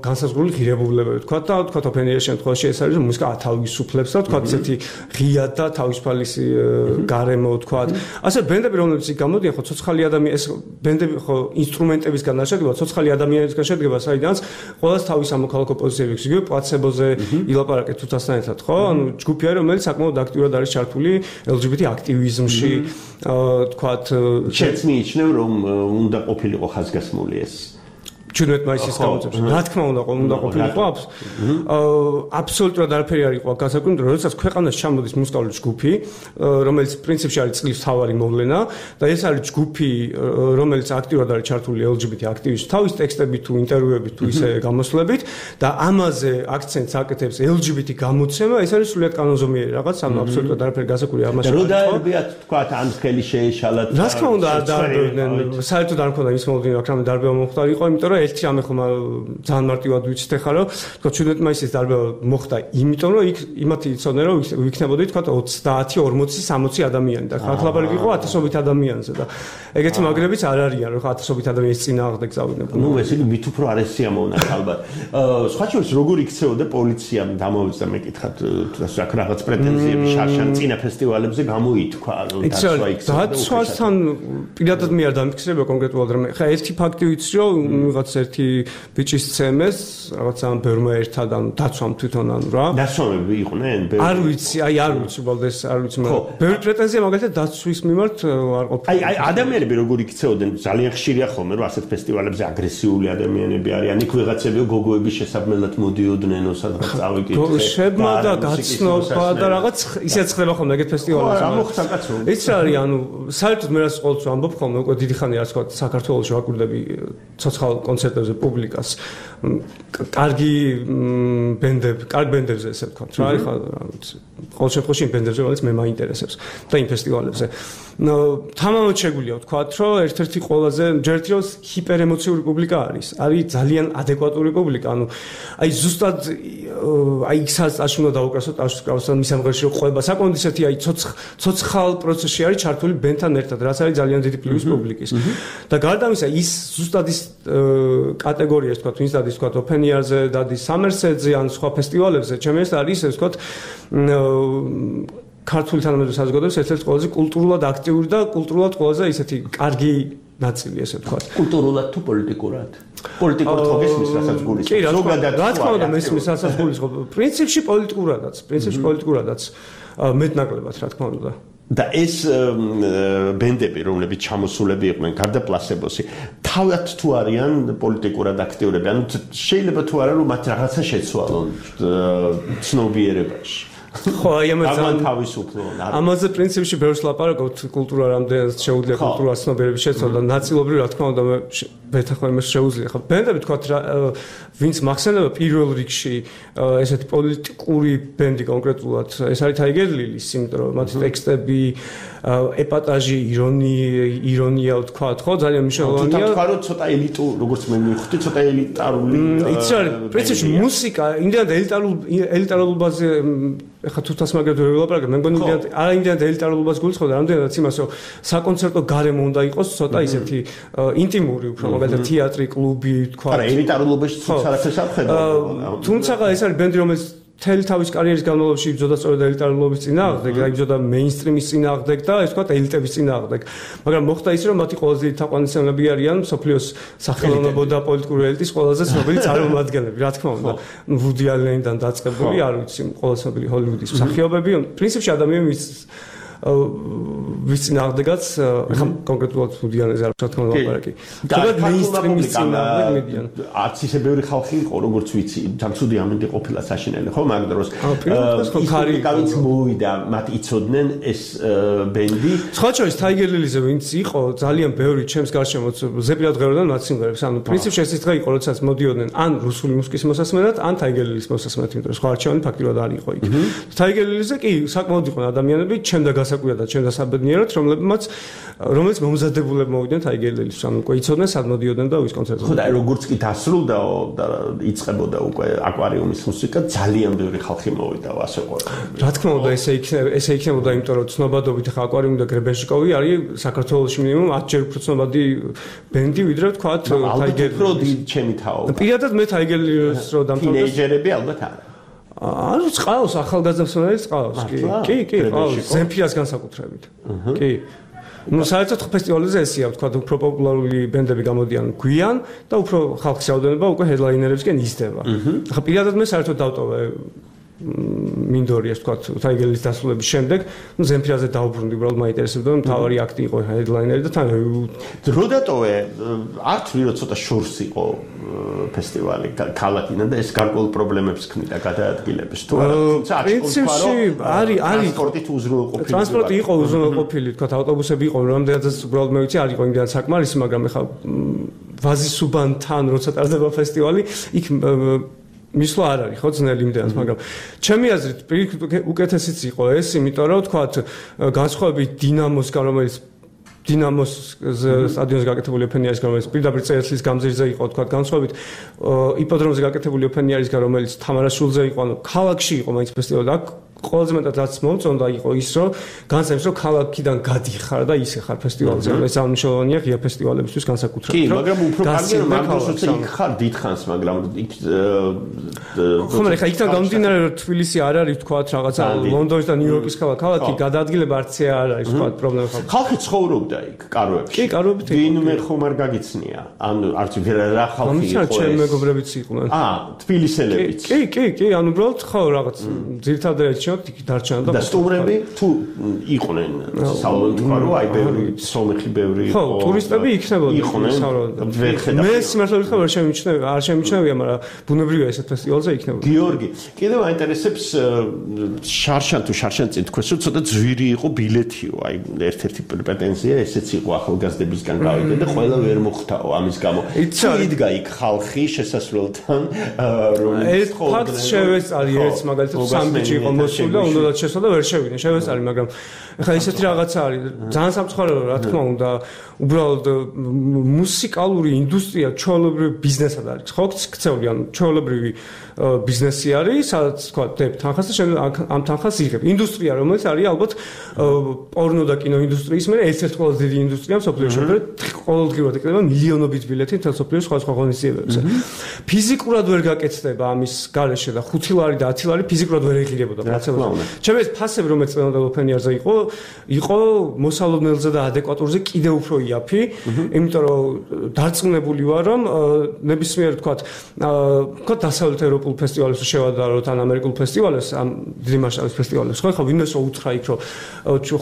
განსაზღვრული ღირებულებები, თქვა და თქვა ოპენიერის შემთხვევაში ეს არის რომ მუსიკა ათავისუფლებს და თქვა ესეთი ღია და თავისუფალისი გარემო თქვა. ასე ბენდები რომლებიც გამოდიან ხო ცოცხალი ადამიანი ეს ბენდები ხო ინსტრუმენტებისგან არ შედგება, ცოცხალი ადამიანებისგან შედგება, საიდანაც ყველას თავის ამოქალაქო პოზიციები აქვს, იგივე პლაცებოზე ილაპარაკეთ თუთასთან ერთად, ხო? ანუ ჯგუფი არის, რომელიც საკმაოდ აქტიურად არის ჩართული ელ ჯი ბი ტი აქტივიზმში, თქვათ, შეც მიიჩნევ, რომ უნდა ყოფილიყო ხაზგასმული ეს ჩვენეთ მაისის გამოძებს. რა თქმა უნდა, უნდა ყოფილიყო აბსოლუტურად არაფერი არ იყო გასაკვირვებელი, როდესაც ქვეყანაში ჩამოდის მუსიკალური ჯგუფი, რომელიც პრინციპში არის წლის თავარი მოვლენა და ეს არის ჯგუფი, რომელიც აქტიურად არის ჩართული ელ ჯი ბი ტი აქტივისტ თავის ტექსტებით თუ ინტერვიუებით თუ ისე გამოსვლებით და ამაზე აქცენტს აკეთებს ელ ჯი ბი ტი გამოცემა, ეს არის სრულიად კანონზომიერი რაღაც, ანუ აბსოლუტურად არაფერი გასაკვირვებელი ამაში. რო დაერბიათ თქვა ან ხელი შეეშალათ. რა თქმა უნდა, არ დაერბიდნენ, საერთოდ არ მქონდა ის მოვლენა, რამე დარბევა მომხდარი იყო, იმიტომ რომ ერთი რამე ხომ ძალიან მარტივად ვიცით ახლა რომ თქო ჩვენეთ მაისის დარბევა მოხდა იმიტომ რომ იქ იმათი იცოდნენ რომ ვიქნებოდი თქო ოცდაათი ორმოცი სამოცი ადამიანი და ხალხ ლაპარაკი იყო ათასობით ადამიანზე და ეგეთი მაგრებიც არ არიან რომ ათასობით ადამიანის წინააღმდეგ წავიდნენ. ნუ ეს იგი მით უფრო არ ესიამოვნა ალბათ. სხვა შორის როგორ იქცეოდა პოლიციამ დამოვიწყდა მეკითხათ თუ რაღაც პრეტენზიები შარშან წინა ფესტივალებზე გამოითქვა რომ დაცვა იქცეოდა. დაცვასთან პირადად მე არ დამიფიქრებია კონკრეტულად რომ ხა ერთი ფაქტი ვიცი რომ ვიღაც ერთი ბიჭის ცემეს რაღაც ამ ბერმა ერთად ან დაცვამ თვითონ ანუ რა დაცვამები იყვნენ არ ვიცი აი არ ვიცი უბრალოდ ეს არ ვიცი მაგრამ ბევრი პრეტენზია მაგალითად დაცვის მიმართ არ ყოფილა აი აი ადამიანები როგორ იქცეოდნენ ძალიან ხშირია ხოლმე რომ ასეთ ფესტივალებზე აგრესიული ადამიანები არიან იქ ვიღაცები გოგოების შესაბმელად მოდიოდნენ სადღაც წავიკითხე შემა და გაცნობა და რაღაც ისეც ხდება ხოლმე ეგეთ ფესტივალებზე რა მოხდა კაცო ის რა არის ანუ საერთოდ მე რას ყოველთვის ვამბობ ხოლმე უკვე დიდი ხანია რა თქვა საქართველოში ვაკვირდები ცოცხალ კონცერტებზე პუბლიკას კარგი ბენდები, კარგ ბენდებზე ესე ვთქვათ რა, ეხლა რა ვიცი, ყოველ შემთხვევაში იმ ბენდებზე, რომელიც მე მაინტერესებს და იმ ფესტივალებზე. თამამად შეგვიძლია ვთქვათ, რომ ერთ-ერთი ყველაზე ჯერტი რომ ჰიპერემოციური პუბლიკა არის. არის ძალიან ადეკვატური პუბლიკა, ანუ აი ზუსტად აი ისაც აშ უნდა დაუკრასო, აშს კრავსო მის ამღერში რომ ყვება, საკმაოდ ისეთი აი ცოცხალ პროცესში არის ჩართული ბენდთან ერთად, რაც არის ძალიან დიდი პლუს პუბლიკის. და გარდა ამისა, ის ზუსტად ის კატეგორიას თქვა, ვინც დადის თქვა ოპენიერზე, დადის სამერსედზე ან სხვა ფესტივალებზე, ჩემი ეს არის ეს თქვა ქართული თანამედროვე საზოგადოების ერთ-ერთი ყველაზე კულტურულად აქტიური და კულტურულად ყველაზე ისეთი კარგი ნაწილი ესე ვთქვათ. კულტურულად თუ პოლიტიკურად? პოლიტიკურ თოგესმის რასაც გულისხმობს. ზოგადად რა თქმა უნდა მესმის რასაც გულისხმობს. პრინციპში პოლიტიკურადაც, პრინციპში პოლიტიკურადაც მეტნაკლებად რა თქმა უნდა. და ეს ბენდები, რომლებიც ჩამოსულები იყვნენ გარდა პლასებოსი, თავად თუ არიან პოლიტიკურად აქტიურები, ანუ შეიძლება თუ არა რომ მათ რაღაცა შეცვალონ ცნობიერებაში. ხო, აი ამაზე თავისუფლონ. ამაზე პრინციპში ბევრს ლაპარაკობთ, კულტურა რამდენად შეუძლია კულტურა ცნობიერების შეცვალა და ნაწილობრივ რა თქმა უნდა მე ვეთახმები იმას შეუძლია. ხო, ბენდები თქვათ რა ვინც მახსენდება პირველ რიგში ესეთი პოლიტიკური ბენდი კონკრეტულად, ეს არის Tiger Lilies, იმიტომ რომ მათი ტექსტები, ეპატაჟი, ირონია, ირონია ვთქვათ, ხო, ძალიან მნიშვნელოვანია. თუ თქვა რომ ცოტა ელიტუ, როგორც მე მივხვდი, ცოტა ელიტარული. იცი რა, პრინციპში მუსიკა, იმდენად ელიტარულ ელიტარულობაზე ეხა თუ თას მაგათ ვერ ვილაპარაკებ, მე მგონი იმდენად არა იმდენად ელიტარულობას გულისხმობდა, რამდენადაც იმას რომ საკონცერტო გარემო უნდა იყოს ცოტა ისეთი ინტიმური უფრო, მაგალითად თეატრი, კლუბი, თქვა. არა, ელიტარულობაში თუ საერთოდ აღხედავ. თუმცა ეს არის ბენდი, რომელიც მთელი თავის კარიერის განმავლობაში იბრძოდა სწორედ ელიტარულობის წინააღმდეგ, იბრძოდა მეინსტრიმის წინააღმდეგ და ეს თქვა ელიტების წინააღმდეგ. მაგრამ მოხდა ის, რომ მათი ყველაზე დიდი თაყვანისმცემლები არიან მსოფლიოს სახელმწიფო და პოლიტიკური ელიტის ყველაზე ცნობილი წარმომადგენლები, რა თქმა უნდა. ვუდი ალენიდან დაწყებული, არ ვიცი, ყველაზე ცნობილი ჰოლივუდის მსახიობები, პრინციპში ადამიანის ვის წინააღმდეგაც, ხა კონკრეტულად ვუდი ალენზე არ ვთქვა ლაპარაკი. თუმცა მეინსტრიმის წინააღმდეგ მედიან. არც ისე ბევრი ხალხი იყო, როგორც ვიცი, სამწუდი ამინდი ყოფილა საშინელი, ხო, მაგ დროს. ის მოვიდა, მათ იცოდნენ ეს ბენდი. სხვა შორის Tiger Lilies-ზე ვინც იყო, ძალიან ბევრი ჩემს გარშემოც ზეპირად ღეროდან მათ სიმღერებს. ანუ პრინციპში ეს ის დღე იყო, როდესაც მოდიოდნენ ან რუსული მუსიკის მოსასმენად, ან Tiger Lilies მოსასმენად, იმიტომ რომ სხვა არჩევანი ფაქტიურად არ იყო იქ. Tiger Lilies-ზე კი საკმაოდ იყვნენ ადამიანები, ჩემდა გასაკვირად და ჩემდა საბედნიეროდ, რომლებმაც რომელიც მომზადებულებ მოვიდნენ Tiger Lilies-ს, ანუ უკვე იცოდნენ სად მოდიოდნენ და ვის კონცერტზე. ხო და როგორც კი დასრულდაო და იწყებოდა უკვე აკვარიუმის მუსიკა, ძალიან ბევრი ხალხი მოვიდა ასე ყო. რა თქმა უნდა, ესე იქნება, ესე იქნებოდა, იმიტომ რომ ცნობადობით ხა აკვარიუმი და გრებენშიკოვი არის საქართველოში მინიმუმ ათჯერ უფრო ცნობადი ბენდი, ვიდრე ვთქვათ Tiger Lilies. ჩემი თაობა. პირადად მე Tiger Lilies-ს რო დამთავრდა. თინეიჯერები ალბათ არა. ანუ წყავს ახალგაზრდებს წყავს კი კი კი ყავს ზემფირას განსაკუთრებით კი ну საერთოდ ფესტივალზე ესია ვთქვა უფრო პოპულარული ბენდები გამოდიან გვიან და უფრო ხალხის რაოდენობა უკვე ჰედლაინერებსკენ იზრდება ახლა პირადად მე საერთოდ დავტოვე მინდორიას ვთქვა Tiger Lilies დასრულების შემდეგ ну ზემფირაზე დავბრუნდი უბრალოდ მაინტერესებდა რომ თავარი აქტი იყო ჰედლაინერი და თან დრო დატოვე არ თვლი რომ ცოტა შორს იყო ფესტივალი ქალაქიდან და ეს გარკვეულ პრობლემებს ქმნიდა გადაადგილების თუ არა თუმცა პრინციპში არის არის ტრანსპორტით უზრუნველყოფილი ტრანსპორტი იყო უზრუნველყოფილი თქვა ავტობუსები იყო რამდენადაც უბრალოდ მე ვიცი არ იყო იმდენად საკმარისი მაგრამ ეხლა ვაზისუბანთან როცა ტარდება ფესტივალი იქ მისვლა არ არის ხო ძნელი იმდენად მაგრამ ჩემი აზრით უკეთესიც იყო ეს იმიტომ რომ თქვა განსხვავებით დინამოსგან რომელიც დინამოს სტადიონზე გაკეთებული ოფენიარისგან რომელიც პირდაპირ წერეთის გამზირზე იყო თქვა განსხვავებით იპოდრომზე გაკეთებული ოფენიარისგან რომელიც თამარაშვილზე იყო ანუ ქალაქში იყო მაინც ფესტივალი და ყველაზე მეტად რაც მომწონდა იყო ის რომ განსაკუთრებით რომ ქალაქიდან გადიხარ და ისე ხარ ფესტივალზე ეს აღნიშნულია ღია ფესტივალებისთვის განსაკუთრებით კი მაგრამ უფრო კარგია რომ მაგ დროს იქ ხარ დიდხანს მაგრამ იქ ხო მაგრამ ხა იქთან გამომდინარე რომ თბილისი არ არის თქვა რაღაცა ლონდონის და ნიუ-იორკის ქალაქი გადაადგილება არც არ არის თქვა პრობლემა ხალხი ცხოვრობდა იქ კაროებში კი კაროებით ვინმე ხომ არ გაგიცნია ანუ არც რა ხალხი იყო ეს ჩემ მეგობრებიც იყვნენ აა თბილისელებიც კი კი კი ანუ უბრალოდ ხო რაღაც ძირითადად იქ დარჩენა და სტუმრები თუ იყვნენ საუბრობთ თქვა რომ აი ბევრი სომეხი ბევრი იყო ხო ტურისტები იქნებოდნენ საუბრობთ მე სიმართლე ვთქვა არ შემიჩნევია არ შემიჩნევია მაგრამ ბუნებრივია ესეთ ფესტივალზე იქნებოდა გიორგი კიდევ აინტერესებს შარშან თუ შარშან წინ თქვენს რომ ცოტა ძვირი იყო ბილეთიო აი ერთ-ერთი პრეტენზია ესეც იყო ახალგაზრდებისგან გავიდე და ყველა ვერ მოხდაო ამის გამო თუ იდგა იქ ხალხი შესასვლელთან რომ ეს ფაქტს შევეწარი ერთ მაგალითად სამი ბიჭი იყო მოსული და უნდათ შესვა და ვერ შევიდნენ შევეწარი მაგრამ ეხლა ისეთი რაღაცა არის ძალიან სამწუხაროა რა თქმა უნდა უბრალოდ მუსიკალური ინდუსტრია ჩვეულებრივი ბიზნესად არის ხო ქცეული ანუ ჩვეულებრივი ბიზნესი არის სადაც თქვა დებ თანხას და შემდეგ ამ თანხას იღებ ინდუსტრია რომელიც არის ალბათ პორნო და კინო ინდუსტრიის მე ერთ-ერთი ყველაზე დიდი ინდუსტრია მსოფლიოში ყოველდღიურად ეკრება მილიონობით ბილეთი მთელ მსოფლიოს სხვადასხვა ღონისძიებებზე ფიზიკურად ვერ გაკეთდება ამის გარეშე და ხუთი ლარი და ათი ლარი ფიზიკურად ვერ ეღირებოდა რაც გასაცილებლად. ჩემი ეს ფასები რომელიც წინანდელ ოფენიარზე იყო, იყო მოსალოდნელზე და ადეკვატურზე კიდევ უფრო იაფი, იმიტომ რომ დარწმუნებული ვარ რომ ნებისმიერ თქვათ, თქვათ დასავლეთ ევროპულ ფესტივალებს შევადაროთ ან ამერიკულ ფესტივალებს, ამ დიდი მასშტაბის ფესტივალებს, ხო, ხა ვინმეს უთხრა იქ რომ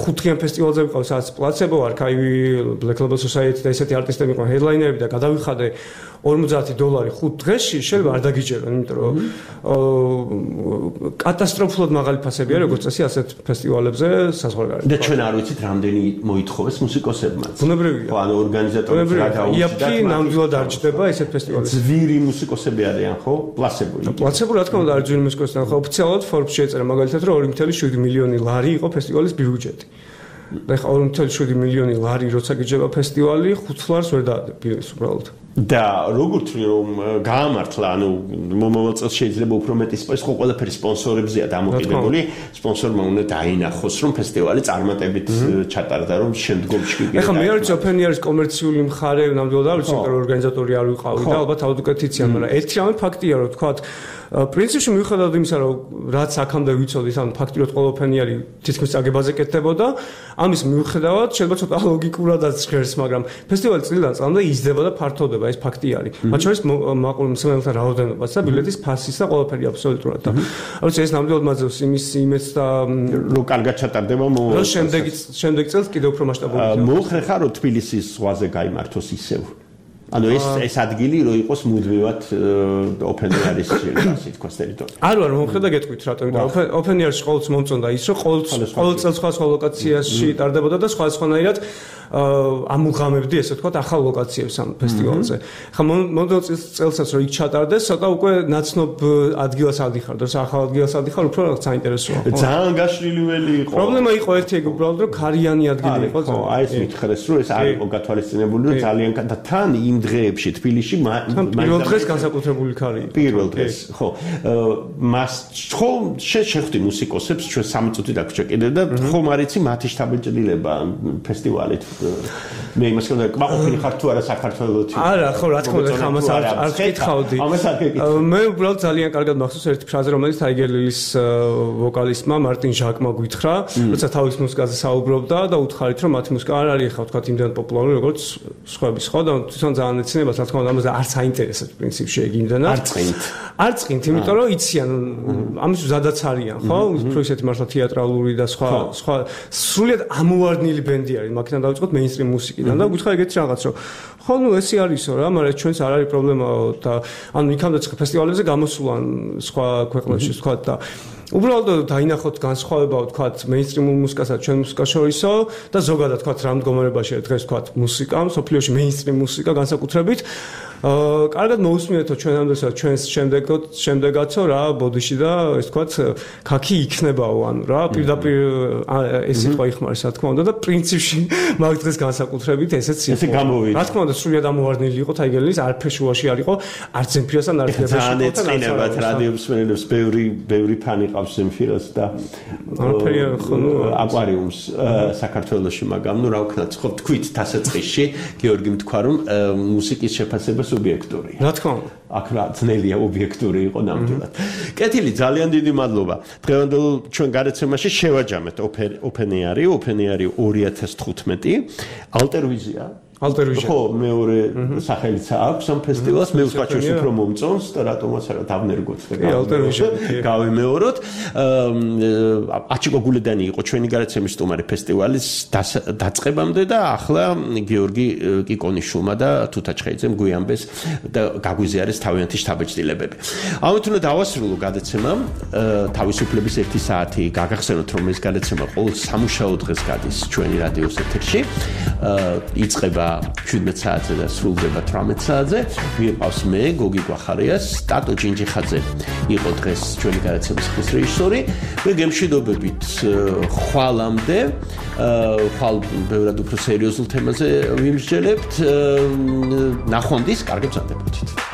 ხუთგიან ფესტივალზე ვიყავს, სადაც პლაცებო, არქაივი, Black Label Society და ესეთი არტისტები იყვნენ ჰედლაინერები და გადავიხადე ორმოცდაათი დოლარი ხუთ დღეში, შეიძლება არ დაგიჯერონ, იმიტომ რომ კატასტროფულად მაღალი ფასები არის როგორც წესი ასეთ ფესტივალებზე საზღვარგარეთ. და ჩვენ არ ვიცით რამდენი მოითხოვეს მუსიკოსებმა. ბუნებრივია. ხო, ანუ ორგანიზატორებს რა დაუჭირდა. იაფი ნამდვილად არ ჯდება ესეთ ფესტივალებში. ძვირი მუსიკოსები არიან, ხო? პლაცებო. პლაცებო რა თქმა უნდა არის ძვირი მუსიკოსები, ხო, ოფიციალურად Forbes შეეწერა მაგალითად რომ ორი კoma შვიდი მილიონი ლარი იყო ფესტივალის ბიუჯეტი. და ხა ორი კoma შვიდი მილიონი ლარი როცა გიჯება ფესტივალი, ხუთ ლარს ვერ დაადებიეს უბრალოდ. და როგორც რომ გაამართლა, ანუ მომავალ წელს შეიძლება უფრო მეტი სპონსორი, ხო ყველაფერი სპონსორებზეა დამოკიდებული, სპონსორმა უნდა დაინახოს, რომ ფესტივალი წარმატებით ჩატარდა, რომ შემდგომში კი. ეხლა მე არ ვიცი ოფენიარის კომერციული მხარე ნამდვილად არ ვიცი, იმიტომ რომ ორგანიზატორი არ ვიყავი და ალბათ აუდიტიცია, მაგრამ ერთი რამე ფაქტია, რომ თქვათ პრინციპში მიუხედავად იმისა, რომ რაც აქამდე ვიცოდით, ანუ ფაქტი რომ ყველა ოფენიარი თითქმის წაგებაზე კეთდებოდა, ამის მიუხედავად შეიძლება ცოტა ლოგიკურადაც ჟღერს, მაგრამ ფესტივალი წლიდან წლამდე იზრდება და ფართოვდება. ეს ფაქტი არის. მათ შორის მაყურებელ მსმენელთა რაოდენობაც და ბილეთის ფასის და ყველაფერი აბსოლუტურად. და როცა ეს ნამდვილად მაძლევს იმის იმედს და რომ კარგად ჩატარდება მომავალ წელს. შემდეგ შემდეგ წელს კიდევ უფრო მასშტაბური. მოუხრე ხარ რომ თბილისის ზღვაზე გაიმართოს ისევ. ანუ ეს ეს ადგილი რო იყოს მუდმივად ოფენიარის ასე თქვა ტერიტორია. არ ვარ მომხრე და გეტყვით რატომ და ოფენიარში ყოველთვის მომწონდა ის რომ ყოველ ყოველ წელს სხვა სხვა ლოკაციაში ტარდებოდა და სხვა სხვანაირად ამუღამებდი ესე თქვა ახალ ლოკაციებს ამ ფესტივალზე. ხა მომდევნო წელსაც რომ იქ ჩატარდეს, ცოტა უკვე ნაცნობ ადგილას ადიხარ, და ახალ ადგილას ადიხარ, უფრო რაღაც საინტერესოა. ძალიან გაშლილიველი იყო. პრობლემა იყო ერთი ეგ უბრალოდ რომ ქარიანი ადგილი იყო. ხო, აი ეს მითხრეს რომ ეს არ იყო გათვალისწინებული, რომ ძალიან და თან იმ დღეებში თბილისში პირველ დღეს განსაკუთრებული ქარი იყო. პირველ დღეს, ხო. მას ხო შეხვდი მუსიკოსებს, ჩვენ სამი წუთი დაგვრჩა კიდე და ხომ არ იცი მათი შთაბეჭდილება ფესტივალით. მე იმას ვქნა, კმაყოფილი ხარ თუ არა საქართველოში? არა, ხო, რა თქმა უნდა, ამას არ არ ვკითხავდი. მე უბრალოდ ძალიან კარგად მახსოვს ერთი ფრაზა, რომელიც Tiger Lily-ის ვოკალისტმა მარტინ ჟაკმა გითხრა, როცა თავის მუსიკაზე საუბრობდა და უთხარით, რომ მათი მუსიკა არ არის ხა თქვა იმდენ პოპულარული, როგორც სხვების, ხო? და თვითონ ძალიან ეცინებას, რა თქმა უნდა, ამაზე არც აინტერესებს პრინციპში ეგ იმდენად. არ წინთ. არ წინთ, იმიტომ რომ იციან, ამის ზადაც არიან, ხო? უფრო ისეთი მართლა თეატრალური და სხვა სხვა სრულიად ამოვარდნილი ბენდი არის, მაგიდან დავიწყოთ მეინსტრიმ მუსიკიდან და გითხრა ეგეთი რაღაც, რომ ხო, ნუ ესე არისო რა, მაგრამ ჩვენს არ არის პრობლემა და ანუ იქამდე ფესტივალებზე გამოსულან სხვა ქვეყნებში თქვა და უბრალოდ დაინახოთ განსხვავება თქვა მეინსტრიმულ მუსიკასა ჩვენ მუსიკას შორისო და ზოგადად თქვა რა მდგომარეობაშია დღეს თქვა მუსიკა, სოფლიოში მეინსტრიმ მუსიკა განსაკუთრებით აა კარგად მოусმინეთო ჩვენამდესაც ჩვენს შემდეგოთ შემდეგაცო რა ბოდიში და ეს თქვა ქაქი იქნებაო ანუ რა პირდაპირ ეს სიტყვა იხმარეს რა თქმა უნდა და პრინციპში მაგ დღეს განსაკუთრებით ესეც იყო ესე გამოვიდა რა თქმა უნდა სრულიად ამოვარდნილი იყო Tiger-Lily-ის არაფერ შუაში არ იყო არც ზემფირასთან არც ზემფირასთან ძალიან ეწყინებათ რადიო მსმენელებს ბევრი ბევრი ფანი ყავს ზემფირას და არაფერი ხო ნუ აკვარიუმს საქართველოში მაგრამ ნუ რა ვქნათ ხო თქვით დასაწყისში გიორგი თქვა რომ მუსიკის შეფასება ობიექტურია. რა თქმა უნდა. აქ რა ძნელია ობიექტური იყო ნამდვილად. კეთილი, ძალიან დიდი მადლობა. დღევანდელ ჩვენ გარეთმაში შევაჯამეთ ოფენიარი, ოფენიარი ორი ათას თხუთმეტი, ალტერვიზია. ალტერვიზია. ხო, მეორე სახელიც აქვს ამ ფესტივალს, მე ვსკაჩოს უფრო მომწონს და რატომაც არა დავნერგოთ და ალტერვიზია. გავიმეოროთ. აჩიკო გულედანი იყო ჩვენი გარეთმის სტუმარი ფესტივალის დაწყებამდე და ახლა გიორგი კიკონიშვილმა და თუთაჩხეიძემ გვიამბეს და გაგვიზიარეს თავიანთი შთაბეჭდილებები. ამით უნდა დავასრულო გადაცემა თავისუფლების ერთი საათი. გაგახსენოთ რომ ეს გადაცემა ყოველ სამუშაო დღეს გადის ჩვენი რადიოს ეთერში. იწყება შვიდმეტ საათზე და სრულდება თვრამეტ საათზე. ვიყავს მე გოგი გვახარია, სტატო ჯინჯიხაძე იყო დღეს ჩვენი გადაცემის ხმის რეჟისორი. მე გემშვიდობებით ხვალამდე, ხვალ ბევრად უფრო სერიოზულ თემაზე ვიმსჯელებთ. ნახვამდის, კარგად გრძანდებოდით.